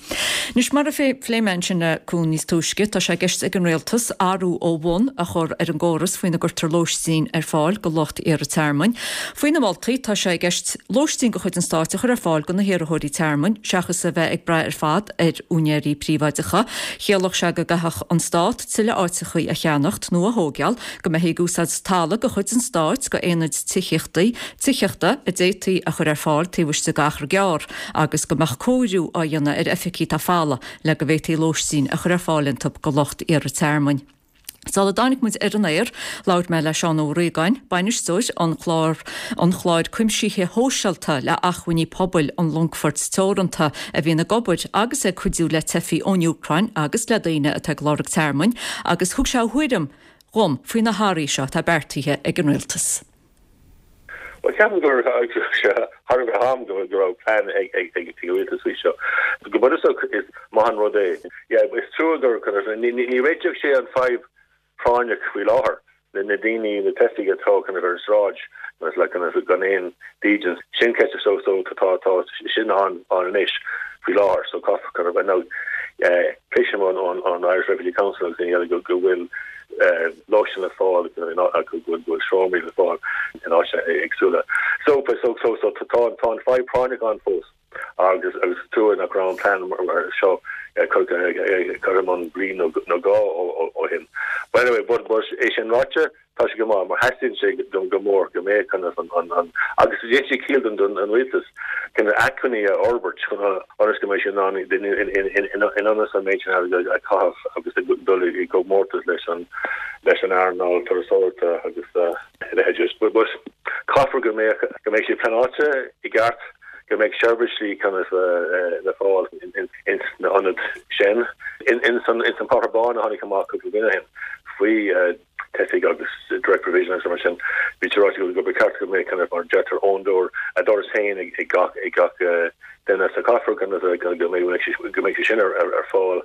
Anois, mar a phléigh mé ansin le Cuan níos túisce, tá sé i gceist ag an Rialtas athrú ó bhun a chur ar an gcóras faoina gcuirtear lóistín ar fáil do lucht iarrtha tearmainn. Faoi na moltaí, tá sé i gceist lóistín de chuid an stáit a chur ar fáil do na hiarrthóirí tearmainn, seachas a bheith ag brath ar fad ar úinéirí príobháideacha. Chiallódh sé go gcaithfeadh an stát tuilleadh áiteachaí a cheannacht nó a thóigeáil, go mbeifí ag úsáid talamh de chuid an stáit do aonaid tithíochtaí, tithíochta a d'fhéadfaí a chur ar fáil taobh istigh d'achar gearr, agus go mbeadh cóiriú á dhéanamh ar oifigí atá folamh le go bhféadfaí lóistín a chur ar fáil iontu do lucht iarrtha tearmainn. Sula dtáinig muid ar an aer, labhair mé le Seán Ó Riagáin, bainisteoir an chlár an chláir cuimsithe shóisialta le Acmhainní Pobail an Longfoirt Teoranta, a bhíonn ag obair agus ag cuidiú le teifigh ón Úcráin agus le daoine atá ag lorg tearmainn, agus thug sé a thuairim dhom faoi na hathruithe seo atá beartaithe ag an Rialtas. Bhuel, ceapaim go raibh sé thar a bheith am go raibh plean ag an rialtas faoi seo. Go bunúsach is maith an rud é. Yeah, is trua gur, ní réiteodh sé an fadhb práinneach faoi láthair, na daoine, na teifigh atá kind of ar an sráid agus like kind of gan aon dídean. Sin ceist so so tá tá sin ann anois faoi láthair so caithfear kind of now cloisim ón ón Irish Refugee Council agus daoine eile go go bhfuil lóistín le fáil go bhfuil seomraí le fáil in áiteanna éagsúla. So so so so tá tá an fadhb práinneach ann fós agus agus is trua nach raibh an plean mar seo curtha i mbun bliain nó dhó ó shin. But anyway, but but é sin ráite, Tá sé go maith mar theastaíonn sé go mór go mbeadh kind of an an agus déanann sé ciall don don an rialtas kind of acmhainní a fhorbairt chun ionas go mbeidh sé in ann in ionas an méid sin airgid a chaitheamh agus dul i gcomórtas leis an leis an earnáil turasóireachta agus a leithéid. But but caithfear go mbeadh go mbeidh sé pleanáilte i gceart go mbeidh seirbhísí kind of le fáil ins na ionaid sin. Ins an ins an Páipéar Bán a tháinig amach cúpla bliain ó shin faoi teifigh agus. Direct Provision agus mar sin, bhí sé ráite go ba cheart go mbeadh kind of mar a deirtear own door, a doras féin ag gach ag gach duine so caithfear kind of go mbeidh go mbeidh sé sin ar ar fáil,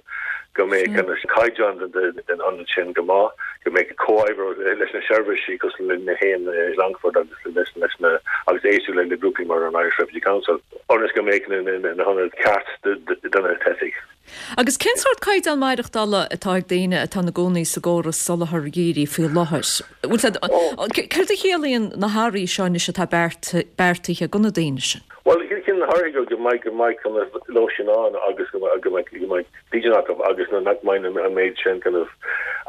go mbeidh kind of caighdeán den den ionad sin go maith, go mbeidh comhoibriú leis na seirbhísí cosúil le na haon i Longfort agus leis leis na agus éisteacht le le grúpaí mar an Irish Refugee Council ionas go mbeidh na na na hionaid ceart do na teifigh. Agus cén sórt caighdeán maireachtála atá ag daoine atá ina gcónaí sa gcóras soláthair dhírigh faoi láthair? Céard a chiallaíonn na hathruithe seo anois atá beartaithe do na daoine sin? Bhuel, ciallaíonn na hathruithe go mbeidh go mbeidh kind of lóistín ann agus go mbeidh go mbeidh dídean acu agus nach mbeidh an méid sin kind of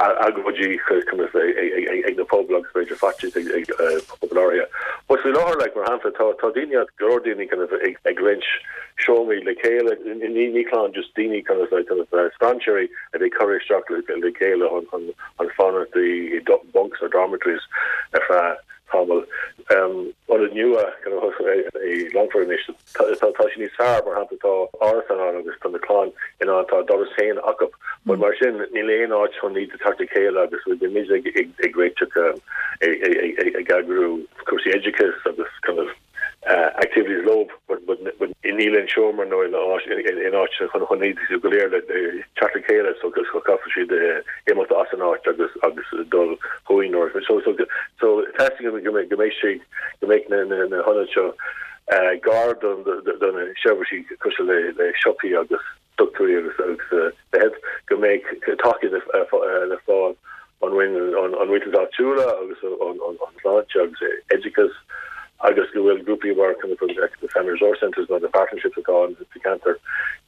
agóidí kind of ag na pobail agus b'fhéidir faitíos ag pobail áirithe. But faoi láthair like mar shampla tá tá daoine go leor daoine kind of ag roinnt seomraí le chéile, ní clann, just daoine kind of like kind of strainséirí a bhí curtha isteach le chéile chun chun fanacht i bunks or dormitories ar feadh tamaill. Ionad nua kind of i Longfort anois, tá tá sé níos fearr, mar shampla tá árasán ann agus tá na clann in ann, tá a doras féin acu. But mar sin níl aon áit chun iad a teacht le chéile agus bhí ag ag réiteach ag eagrú cúrsaí oideachais agus kind of activities leo but but níl aon seomra nó aon áit aon áit chun chun iad go léir le teacht le chéile so so caithfidh siad imeacht as an áit agus agus dul chugainn nó so so so teastaíonn go mbeidh go mbeidh sé go mbeidh na na na hionaid seo gar do do na seirbhísí cosúil le le siopaí agus dochtúirí agus agus a leithéid, go mbeidh tacaíocht le fáil ón Roinn an rialtas áitiúla agus an tsláinte agus oideachas agus go bhfuil grúpaí mar kind of the Family Resource Centres nó the partnerships atá ann sa cheantar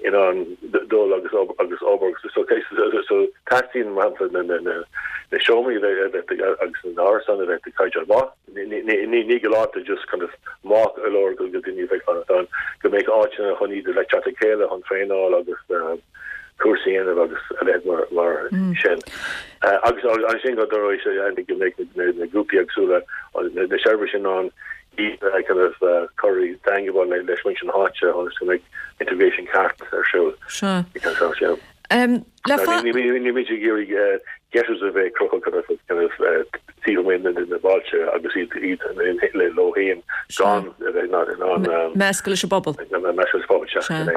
in ann dul agus agus obair so so teastaíonn mar shampla na na na seomraí a bheith agus na árasáin a bheith de chaighdeán maith. Ní galánta just kind of maith go leor go daoine a bheith fanacht ann, go mbeadh áiteanna chun iad le teacht le chéile chun traenáil agus cúrsaí a dhéanamh agus a leithéid mar sin. Agus ansin go dtarlóidh sé go mbeidh na grúpaí éagsúla, na seirbhísí in ann iad a kind of cur i dteangmháil leis muintir na háite ionas go mbeidh integration ceart ar siúl. Sea. Nílimid ag iarraidh ghettos a bheith cruthaithe kind of taobh amuigh de na bailte agus iad leo féin gan a bheith in ann meascadh leis an bpobal. Meascadh leis an bpobal, sea, sin é.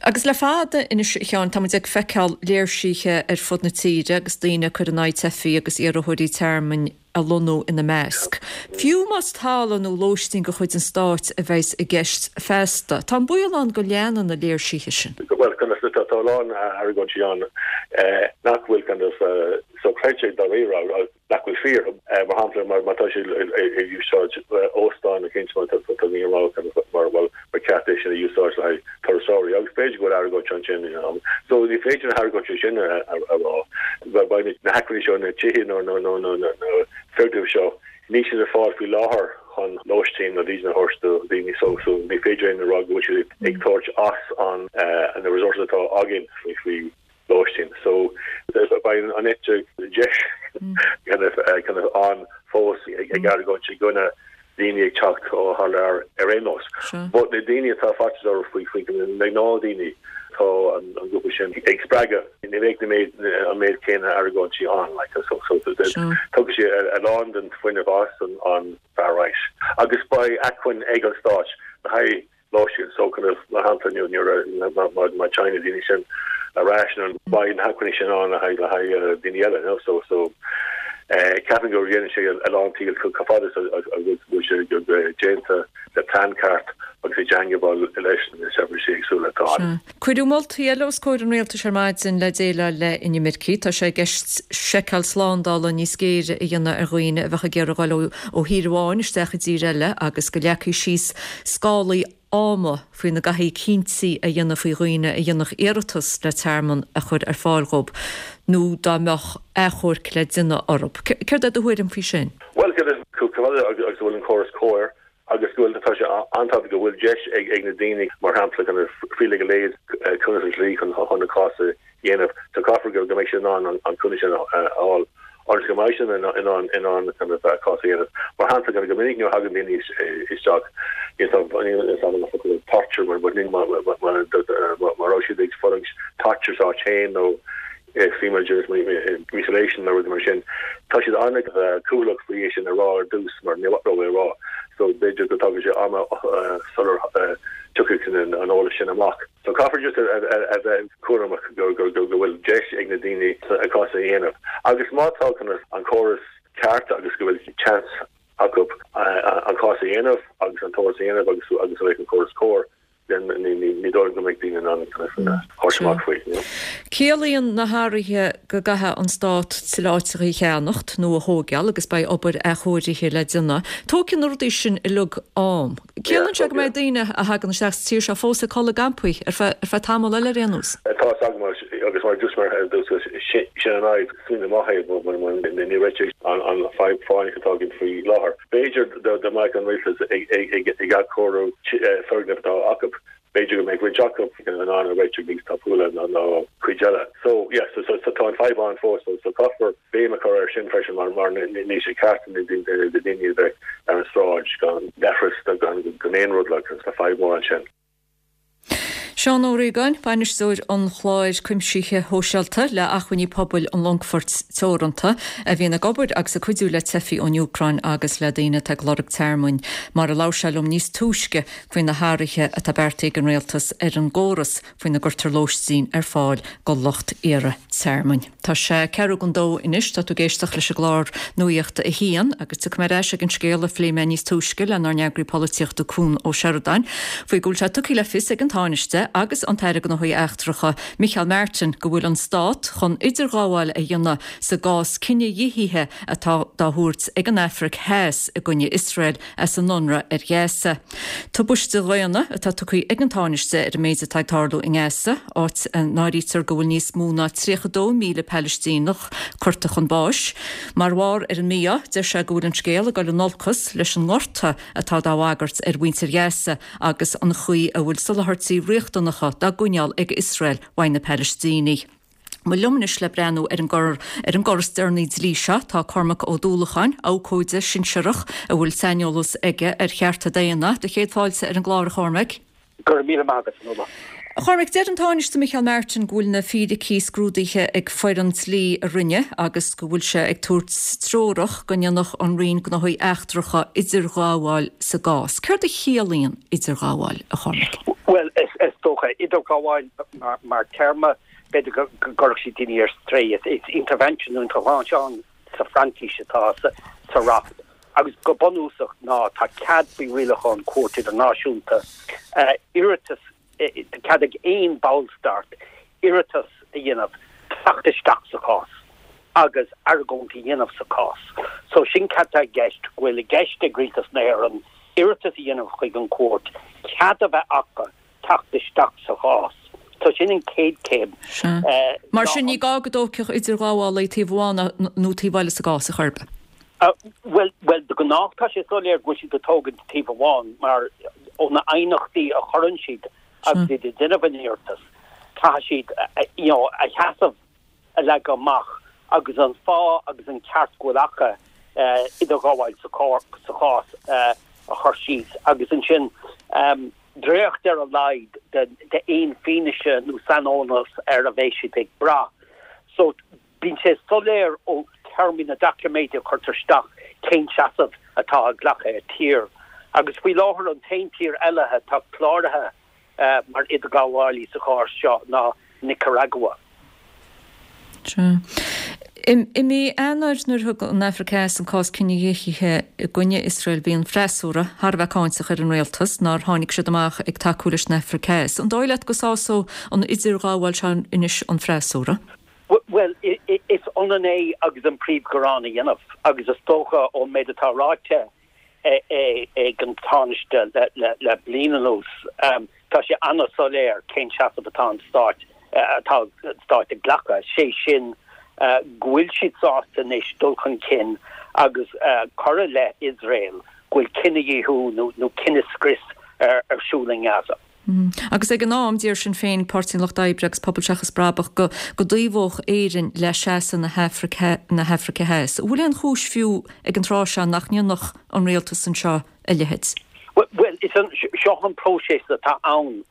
Agus le fada anois, a Sheáin, tá muid ag feiceáil léirsithe ar fud na tíre agus daoine ag cur in aghaidh teifigh agus iarrthóirí tearmainn a lonnú ina measc. Fiú más talamh nó lóistín de chuid an stáit a bheas i gceist feasta, tá an baol ann go leanfaidh na léirsithe sin. Bhuel, tá a lán argóintí ann nach bhfuil kind of sochreidte dáiríre, nach bhfuil fíor. Mar shampla, má tá siad ag úsáid óstán eicínt, má tá daoine ag rá kind of mar bhuel, ba cheart é sin a úsáid le haghaidh turasóirí agus b'fhéidir go bhfuil argóint ansin you know. So ní féidir na hargóintí sin a rá. Beidh na hacmhainní seo, na tithe nó na foirgnimh seo, níl siad ar fáil faoi láthair chun lóistín nó dídean a thabhairt do dhaoine so so ní féidir linn a rá go bhfuil siad ag tabhairt as an na resources atá againn faoi faoi lóistín. So beidh an eite dheis kind of kind of ann fós ag argóint i gcoinne daoine ag teacht ó thar lear ar aon nós. But na daoine atá faitíos orthu faoi faoi na gnáthdhaoine tá an grúpa sin ag spreagadh ní bheidh na méid an méid céanna argóintí ann like so so tógfaidh sé a lán den fuinneamh as an an far right agus beidh acmhainn ag an stát le haghaidh lóistín so kind of mar shampla nuair a má téann na daoine sin ar ais nó beidh na hacmhainní sin ann le haghaidh le haghaidh daoine eile you know so so ceapaim go dhéanann sé a lán ciall chomh fada is a bhfuil sé déanta le plean ceart agus i dteangmháil leis na seirbhísí éagsúla atá ann. Cuireadh moltaí eile os comhair an rialtais ar maidin le déileáil le inimircigh. Tá sé i gceist seiceáil slándála níos géire a dhéanamh ar dhaoine a bheadh ag iarraidh dul ó thír amháin isteach i dtír eile agus go leagfaí síos scálaí ama faoina gcaithfí cinntí a dhéanamh faoi dhaoine a dhéanfadh iarratas le tearmann a chur ar fáil dhóibh nó dá mbeadh achomharc le déanamh orthu. Céard é do thuairim faoi sin? Bhuel, chomh fada agus a bhfuil an córas cóir agus go bhfuil, tá sé an-tábhachtach go bhfuil deis ag na daoine, mar shampla, kind of free legal aid, cúnamh dlí chun a cás a dhéanamh. So caithfear go mbeidh siad in ann an cúnamh sin a fháil ionas go mbeidh siad in ann in ann kind of a cás a dhéanamh. Mar shampla, kind of go minic nuair a thagann daoine isteach, níl a fhios agam an focal torture mar mar raibh siad ag fulaingt torture sa áit féin nó female genital mutilation nó rudaí mar sin, tá siad an. an-chúthaileach faoi é sin a rá ar dtús mar níor mhaith leo é a rá so b'fhéidir go dtógfaidh sé ama sular tiocfaidh an eolas sin amach. So caithfear just a bheith cúramach go bhfuil deis ag na daoine a cás a dhéanamh agus má tá an córas ceart agus go bhfuil chance acu an cás a dhéanamh agus an t-eolas a dhéanamh agus agus go mbeidh an córas cóir, then ní dóigh liom go mbeidh daoine in ann kind of thabhairt amach faoi, you know. Ciallaíonn na hathruithe go gcaithfidh an Stát tuilleadh áiteacha a cheannacht nó a thóigeáil agus beidh obair athchóirithe le déanamh. Tógfaidh na rudaí sin uilig am. Ciallaíonn sé go mbeidh daoine a thagann isteach sa tír seo fós ag codladh i gcampaí ar feadh tamall eile ar aon nós. Tá a fhios agam agus mar a dúirt mé ar dtús sin an fhadhb, smaoineamh maith é but ní réiteoidh an fadhb phráinneach atá againn faoi láthair. B'fhéidir dá mbeadh an rialtas ag athchóiriú foirgnimh atá acu, b'fhéidir go mbeadh roinnt acu in ann a réiteach níos tapúla ná cuid eile. So yeah, so so tá an fadhb ann fós so caithfear béim a chur air sin freisin mar mar níl sé ceart do daoine a bheith ar an sráid gan leithreas nó gan gan aon rud like tá fadhb mór ansin. Seán Ó Riagáin, Bainisteoir an Chláir Cuimsithe Shóisialta le Acmhainní Pobail an Longfoirt Teoranta, a bhíonn ag obair agus ag cuidiú le teifigh ón Úcráin agus le daoine atá ag lorg tearmainn, mar a labhair sé liom níos túisce faoi na hathruithe atá beartaithe ag an Rialtas ar an gcóras faoina gcuirtear lóistín ar fáil do lucht iarraidh tearmainn. Tá sé ceathrú don dó anois, tá tú ag éisteacht leis an gclár Nuacht a hAon agus tiocfaidh mé ar ais ag an scéal a phléigh mé níos túisce lenár n-eagraí polaitíochta Cuan Ó Seireadáin faoi go bhfuil sé tugtha le fios ag an Tánaiste agus an tAire Gnóthaí Eachtracha Micheál Martin go bhfuil an Stát chun idirghabháil a dhéanamh sa gcás cinedhíothaithe atá dá thabhairt ag an Afraic Theas i gcoinne Iosrael as an ionradh ar Ghaza. Tubaiste dhaonna atá tugtha ag an Tánaiste ar an méid atá ag tarlú i nGaza, áit a n-áirítear go bhfuil níos mó ná 32,000 Palaistíneach curtha chun báis. Mar bharr ar an mí-ádh, deir sé go bhfuil an scéal ag dul in olcas leis an ngorta atá dá bhagairt ar mhuintir Ghaza agus an chaoi a bhfuil soláthairtí riachtanacha dá gcoinneáil ag Iosrael uaidh na Palaistínigh. Bhuel liom anois le breathnú ar an gcor ar an gcor is deireanaí dlí seo tá Cormac Ó Dúlacháin, abhcóide sinsearach a bhfuil saineolas aige ar chearta daonna. Do chéad fáilte ar an gclár, a Chormaic. Go raibh míle maith agat, a Nuala. A Chormaic, deir an Tánaiste Micheál Martin go bhfuil na fíricí scrúdaithe ag foireann dlí a Roinne agus go bhfuil sé ag tabhairt treorach go ndéanfadh an Roinn Gnóthaí Eachtracha idirghabháil sa gcás. Céard a chiallaíonn idirghabháil, a Chormaic? Bhuel, is dócha, idirghabháil mar téarma, b'fhéidir go gcuirfeadh sé daoine ar strae. Is intervention nó intervention sa Fhraincis atá sa reacht agus go bunúsach ná tá cead faoi rialacháin Cúirt Idirnáisiúnta iarratas, tá cead ag aon bhallstát iarratas a dhéanamh teacht isteach sa chás agus argóint a dhéanamh sa chás. So sin cad tá i gceist, go bhfuil i gceist ag Rialtas na hÉireann iarratas a dhéanamh chuig an gcúirt, cead a bheith acu teacht isteach sa chás. So sin an chéad chéim. Sea. Mar sin, ní gá go dtógfadh idirghabhálaí taobh amháin nó taobh eile sa gcás, ar chor ar bith? Bhuel, bhuel, de ghnáth tá sé soiléir go bhfuil siad ag tógaint taobh amháin mar ó na aighneachtaí a chuireann siad agus iad ag déanamh an iarratas, caithfidh siad, you know, a sheasamh a leagadh amach agus an fáth agus an ceart go bhfuil acu idirghabháil sa chás a chur síos agus ansin dréacht ar a laghad d'aon fianaise nó saineolas ar a bheidh siad ag brath. So bíonn sé soiléir ó théarmaí na doiciméid a chuirtear isteach cén seasamh atá á ghlacadh ag tír. Agus faoi láthair an t-aon tír eile atá cláraithe mar idirghabhálaí sa chás seo ná Nicearagua. Sea. I mí Eanáir nuair a thug an Afraic Theas an cás cinedhíothaithe i gcoinne Iosrael bhí an freasúra thar a bheith cáinteach ar an rialtas nár tháinig siad amach ag tacú leis an Afraic Theas. An dóigh leat go sásódh an idirghabháil seo anois an freasúra? Bhuel, is ionann é agus an príomhghearán a dhéanamh agus is dócha ón méid atá ráite ag an Tánaiste le bliain anuas. Tá sé an-soiléir cén seasamh atá an Stáit atá an Stát ag glacadh, sé sin go bhfuil siad sásta anois dul chun cinn agus cur i leith Iosrael go bhfuil cinedhíothú nó cinescrios ar siúl i nGaza. Agus ag an am, d'iarr Sinn Féin, Páirtí an Lucht Oibre agus Pobal Seachas Brabach go go dtaobhódh Éirinn le seasamh na hAfraice na hAfraice Theas. An bhfuil aon chúis fiú ag an tráth seo nach ndéanfadh an rialtas anseo a leithéid? Bhuel, is an, seo an próiseas atá ann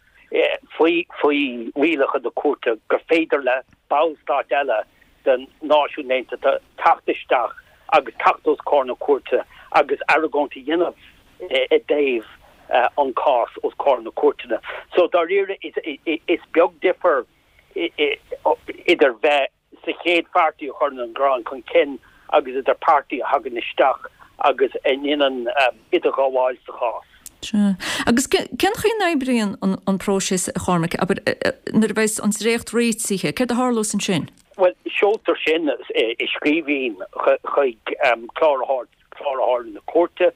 faoi faoi rialacha na cúirte gur féidir le ballstáit eile den Náisiún Aontaithe teacht isteach. agus teacht os comhair na cúirte agus argóint a dhéanamh i dtaobh an cás os comhair na cúirteanna. So dáiríre is beag difear idir bheith sa chéad pháirtí a chuireann an gearán chun cinn agus idir páirtí a thagann isteach agus a ndéanann idirghabháil sa chás. Sea. Agus cén chaoi a n-oibríonn an próiseas, a Chormaic? Abair, nuair a bheas an dréacht réitithe, céard a tharlós ansin? Bhuel, seoltar sin i scríbhinn chuig cláraitheoir cláraitheoir na cúirte.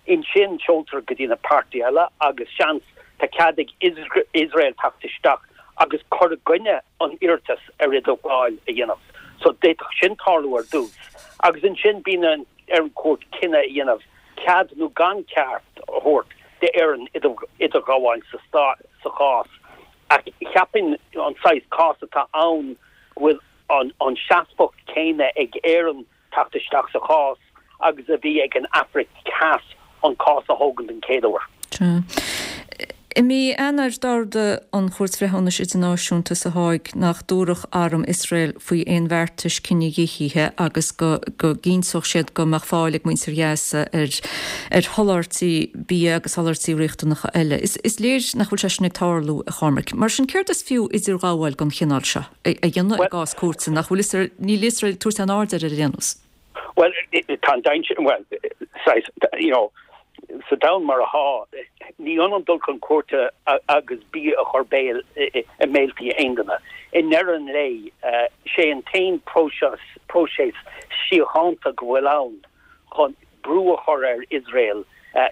Ansin seoltar go dtí na páirtithe eile agus seans tá cead ag Iosrael teacht isteach agus cur i gcoinne an iarratas ar idirghabháil a dhéanamh. So d'fhéadfadh sin tarlú ar dtús agus ansin bíonn ar an chúirt cinneadh a dhéanamh cead nó gan ceart a thabhairt d'Éirinn idirghabháil sa chás. Ach cheapfainn an saghas cás atá ann go bhfuil an seasmhacht céanna ag Éirinn teacht isteach sa chás agus a bhí ag an Afraic Theas an cás a thógaint den chéad uair. Sea. I mí Eanáir d'ordaigh an Chúirt Bhreithiúnais Idirnáisiúnta sa Háig nach dtabharfadh arm Iosrael faoi aon bheartais cinedhíothaithe agus go gcinnteodh siad go mbeadh fáil ag muintir Ghaza ar ar sholáthairtí bia agus soláthairtí riachtanacha eile. Is léir nach bhfuil sé sin ag tarlú, a Chormaic. Mar sin, céard is fiú idirghabháil den chineál seo? a dhéanamh i gcás cúirte nach bhfuil Iosrael, níl Iosrael ag tabhairt aon aird air ar aon nós. Bhuel, tá an dainséar, bhuel, saghas, you know, sa domhan mar atá, ní ionann dul chun cúirte agus bia a chur béal i mbéaltaí aon duine. I ndeireadh an lae, sé an t-aon próiseas, próiseas síochánta go bhfuil ann chun brú a chur ar Iosrael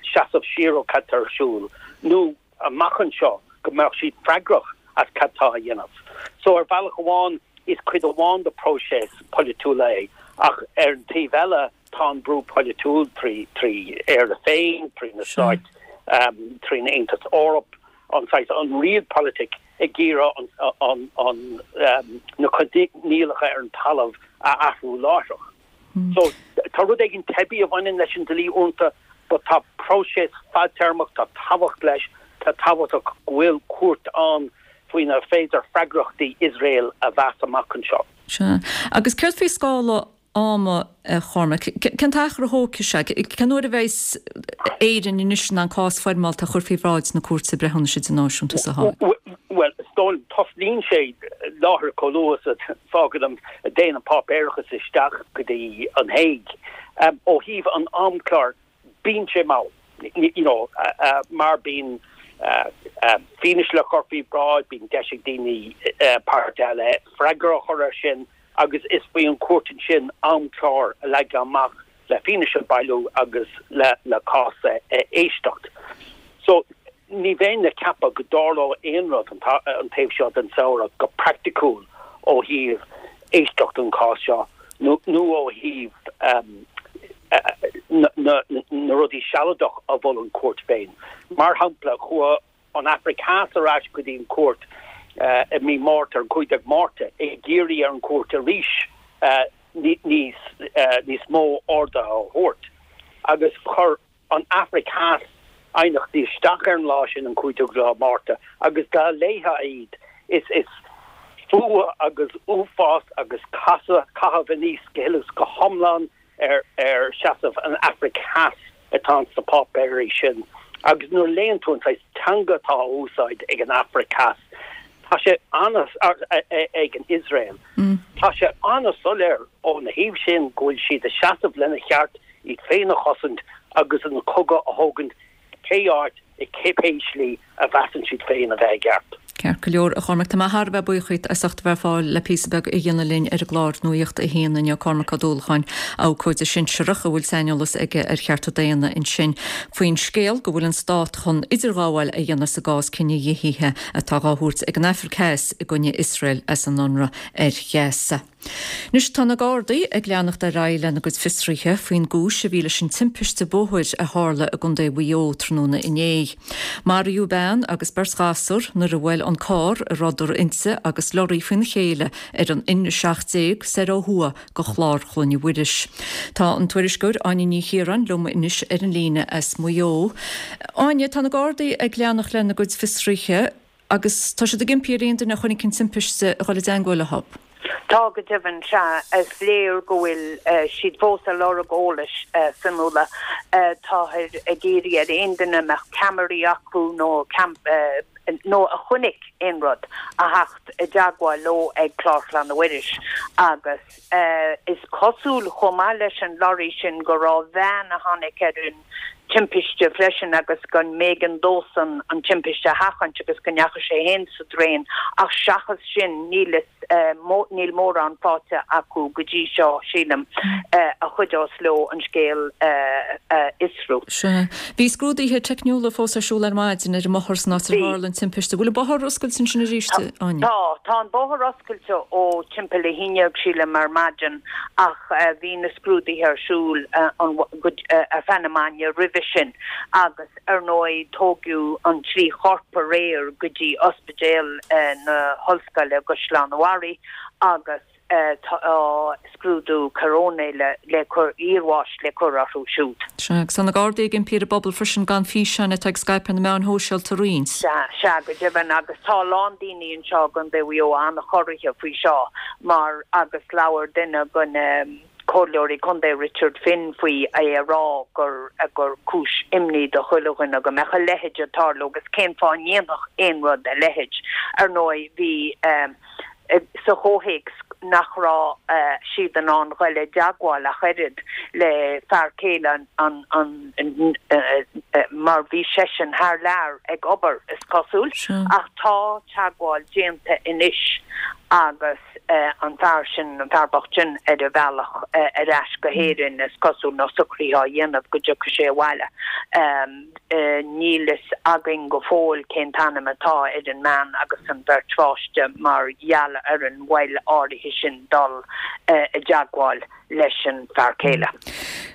seasamh siar ó cad tá ar siúl, nó amach anseo go mbeadh siad freagrach as cad tá á dhéanamh. So ar bhealach amháin is cuid amháin de próiseas polaitiúil é ach ar an taobh eile tá an brú polaitiúil trí trí Éire féin, trí na Stáit, trín Aontas Eorpach, an saghas an realpolitik ag iarraidh an an an na coinníollacha ar an talamh a athrú láithreach. So, tá rud éigin teibí a bhaineann leis an dlí uaireanta, but tá próiseas fadtéarmach, tá tábhacht leis, tá tábhachtach go bhfuil cúirt ann faoina féidir freagrachtaí Iosrael a mheas amach anseo. Sea. Agus céard faoi scála ama, a Chormaic? Cén t-achar a thógfaidh sé? Cén uair a bheidh Éirinn anois in ann cás foirmeálta a chur faoi bhráid na Cúirte Breithiúnais Idirnáisiúnta sa Háig? Bhuel, is dóigh liom, tosnaíonn sé láithreach chomh luath is a fágann an, a dtéann an páipéarachas isteach go dtí an Hague. Ó thaobh an amchláir, bíonn sé mall, you know, mar bíonn fianaise le cur faoi bhráid, bíonn deis ag daoine, páirtithe eile freagra a chur air sin agus is faoi an chúirt ansin amchlár a leagan amach le fianaise a bhailiú agus le le cás a éisteacht. So ní bheinn ag ceapadh go dtarlódh aon rud an an taobh seo den samhradh go praiticiúil ó thaobh éisteacht an chás seo nó nó ó thaobh na na na rudaí sealadach a mhol an chúirt féin. Mar shampla, chuaigh an Afraic Theas ar ais go dtí an chúirt i mí Márta, ar an 15 Márta, ag iarraidh ar an chúirt arís níos níos mó orduithe a thabhairt agus chuir an Afraic Theas aighneachtaí isteach ar an lá sin, an 15 lá Márta, agus dá léifeá iad, is is fuath agus uafás agus casadh, caitheamh aníos go huile is go hiomlán ar ar seasamh an Afraic Theas atá ins na páipéirí sin agus nuair a léann tú an saghas teanga atá á úsáid ag an Afraic Theas, tá sé ana, ag an Iosrael, tá sé ana-soiléir óna thaobh sin go bhfuil siad ag seasamh lena cheart iad féin a chosaint agus an cogadh a thógaint pé áit i cibé slí a mheasann siad féin a bheith i gceart. Ceart go leor, a Chormaic. Tá mé thar a bheith buíoch díot as ucht a bheith ar fáil le píosa beag a dhéanamh linn ar an gclár Nuacht a hAon inniu. Cormac Ó Dúlacháin, abhcóide sinsearach a bhfuil saineolas aige ar chearta daonna ansin faoin scéal go bhfuil an stát chun idirghabháil a dhéanamh sa gcás cinedhíothaithe atá dhá thabhairt ag an Afraic Theas i gcoinne Iosrael as an ionradh ar Ghaza. Anois tá na Gardaí ag leanacht ar aghaidh lena gcuid fiosruithe faoin gcúis a bhí leis an timpiste bóthair a tharla i gContae Mhaigh Eo tráthnóna inné. Maraíodh bean agus beirt ghasúr nuair a bhuail an carr a rabhadar inti agus lorraí faoina chéile ar an N17 soir ó thuaidh go Chlár Chloinne Mhuiris. Tá an tuairisceoir Áine Ní Chiaráin liom anois ar an líne as Maigh Eo. Áine, tá na Gardaí ag leanacht lena gcuid fiosruithe. Agus tá siad ag impí ar aon duine a chonaic an timpiste a dhul i dteangmháil leo. Tá go deimhin, sea. Is léir go bhfuil siad fós ag lorg eolais, Fionnuala. Táthar ag iarraidh ar aon duine a mbeadh ceamaraí acu nó nó a chonaic aon rud a theacht i dteagmháil leo ag Clár Chlainne Mhuiris agus is cosúil chomh maith leis an lorry sin go raibh veain a tháinig ar an timpiste freisin agus go mb'éigean dósan an timpiste a sheachaint agus go ndeachaigh sé féin sa draein ach seachas sin níl níl mórán faighte acu go dtí seo, sílim, a chuideos leo an scéal a fhiosrú. Sea. Bhí scrúduithe teicniúla fós ar siúl ar maidin ar an mbothar san áit ar tharla an timpiste. Bhfuil an bóthar oscailte ansin arís, Áine? Tá. Tá an bóthar oscailte ó timpeall 11 sílim ar maidin ach bhí na scrúduithe ar siúl ar feadh na maidne roimhe sin agus ar ndóigh tógadh an 3 chorp aréir go dtí Ospidéal na hOllscoile i gCaisleán an Bharraigh agus tá scrúdú coróinéir le cur, iarbháis le cur orthu siúd. Sea, agus tá na Gardaí ag impí ar an bpobal freisin gan físeáin atá ag scaipeadh ar na meáin shóisialta a roinnt. Sea, sea, go deimhin agus tá a lán daoine anseo i gContae Mhaigh Eo an-chorraithe faoi seo mar agus labhair duine de na comhairleoirí contae Richard Finn faoi, é ag rá gur gur cúis imní do chuile dhuine go mbeadh a leithéid ag tarlú agus cén fáth a ndéanfadh aon rud a leithéid. Ar ndóigh bhí sa chomhthéacs nach raibh siad in ann dhul i dteagmháil ach oiread le fear céile an an mar bhí seisean thar lear ag obair is cosúil ach tá teagmháil déanta anois agus an fear sin, an fear bocht sin ar a bhealach ar ais go hÉirinn is cosúil nó socruithe á dhéanamh go dtiocfaidh sé abhaile. Níl fhios againn go fóill cén t-ainm atá ar an mbean agus an bheirt pháiste mar gheall ar an mhoill áirithe sin dul i dteagmháil leis an fear céile.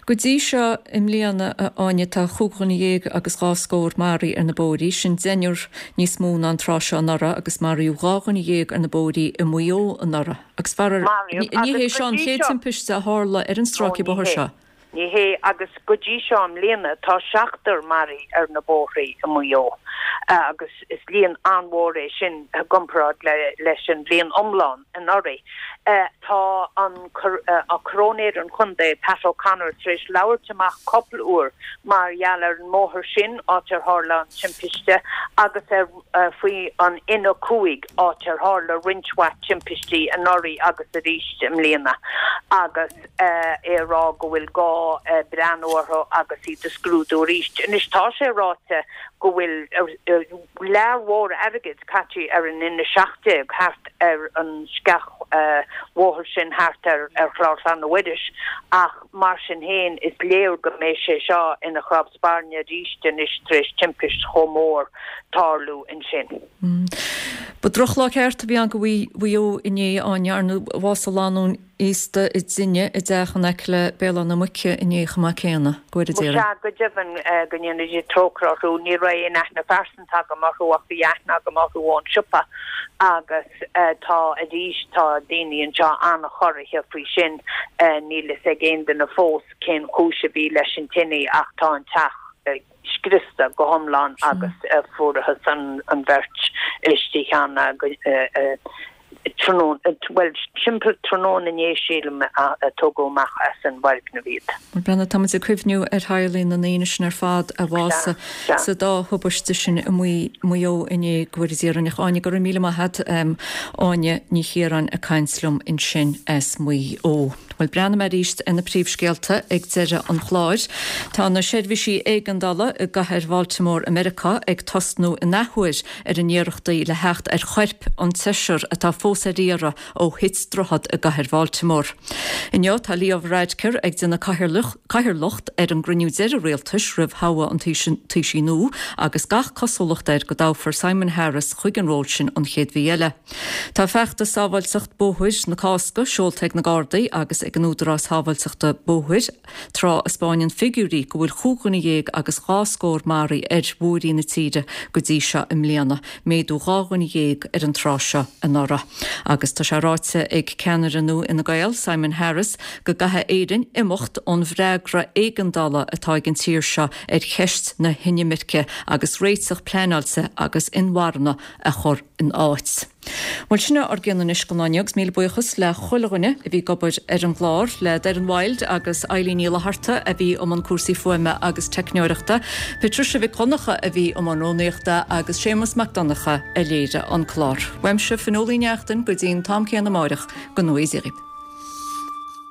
Go dtí seo i mbliana, a Áine, tá chúig dhuine dhéag agus dhá scór maraithe ar na bóithrí, sin deichniúr níos mó ná an tráth seo anuraidh agus maraíodh 12 dhuine ar na bóithrí i Maigh Eo anuraidh. Agus faraor, ní hé seo an chéad timpiste a tharla ar an stráice bóthair seo. Ní hé, agus go dtí seo i mbliana tá seachtar maraithe ar na bóithrí i Maigh Eo agus is líon an-mhór é sin i gcomparáid leis an bhliain iomlán anuraidh. Tá an Coróinéir an Chontae, Pat O'Connor, tar éis labhairt amach cúpla uair mar gheall ar an mbóthar sin, áit ar tharla an timpiste, agus ar faoi an N5, áit ar tharla roinnt mhaith timpistí anuraidh agus arís i mbliana, agus é ag rá go bhfuil gá breathnú orthu agus iad a scrúdú arís. Anois tá sé ráite go bhfuil lear mhór airgid caite ar an N17 thart ar an sceachbhóthar sin thart ar Chlár Chlainne Mhuiris ach mar sin féin is léir go mbeidh sé seo ina chrab spairne arís anois tar éis timpist chomh mór tarlú ansin. Ba drochlá ceart a bhí ann do Mhaigh Eo inné, Áine, ar ndóigh bhásaigh lánúin aosta i dtine i dteach in aice le Béal Átha na Muice inné chomh maith céanna. Go bhfóire Dia orainn. Sea, go deimhin, go ndéana Dia trócaire orthu. Ní raibh aon aithne phearsanta agam orthu ach bhí aithne agam orthu ón siopa agus tá, arís, tá daoine anseo an-chorraithe faoi sin. Níl fhios ag aon duine fós cén chúis a bhí leis an tine ach tá an teach scriosta go hiomlán agus fuarathas an bheirt istigh ann tráthnóna, bhuel, timpeall tráthnóna inné sílim a tógadh amach as an bhfoirgneamh iad. Bhuel, Brenda, tá muid ag cuimhniú ar theaghlaigh na ndaoine sin ar fad a bhásaigh sa dá thubaiste sin i Maigh Eo inné, go bhfóire Dia orainn. Ach Áine, go raibh míle maith agat. Áine Ní Chiaráin ag caint liom ansin as Maigh Eo. Bhuel, breathnóidh mé arís ar na príomhscéalta ag deireadh an chláir. Tá na seirbhísí éigeandála i gcathair Bhaltimore i Meiriceá ag tosnú in athuair ar a n-iarrachtaí le theacht ar choirp an tseisear atá fós ar iarraidh ó thit droichead i gcathair Bhaltimore. Inniu tá Leo Varadkar ag déanamh cathaoirleacht ar an gcruinniú deiridh rialtais roimh thoghadh an Taoisigh nua agus gach cosúlacht air go dtoghfar Simon Harris chuig an ról sin an chéad mhí eile. Tá feachtas sábháilteacht bóthair na Cásca seolta ag na Gardaí agus ag an Údarás Sábháilteachta Bóthair tráth a 'spáineann figiúirí go bhfuil chúig dhuine dhéag agus dhá scór maraithe ar bhóithrí na tíre go dtí seo i mbliana, méadú 12 dhuine ar an tráth seo anuraidh. Agus tá sé ráite ag ceannaire nua Fhine Gael, Simon Harris, go gcaithfidh Éirinn imeacht ón bhfreagra éigeandála atá ag an tír seo ar cheist na hinimirce agus réiteach pleanáilte agus inmharthana a chur in áit. Bhuel, sin é ár gcion anois don lá inniu agus míle buíochas le chuile dhuine a bhí ag obair ar an gclár, le Doireann Wilde agus Eilín Ní Fhlatharta a bhí i mbun cúrsaí fuaime agus teicneoireachta, Patricia Mhic Dhonncha a bhí i mbun rúnaíochta agus Séamus Mac Donncha a léirigh an clár. Uaimse, Fionnuala Ní Neachtain, go dtí an t-am céanna amáireach, go ngnóthaí Dia dhaoibh.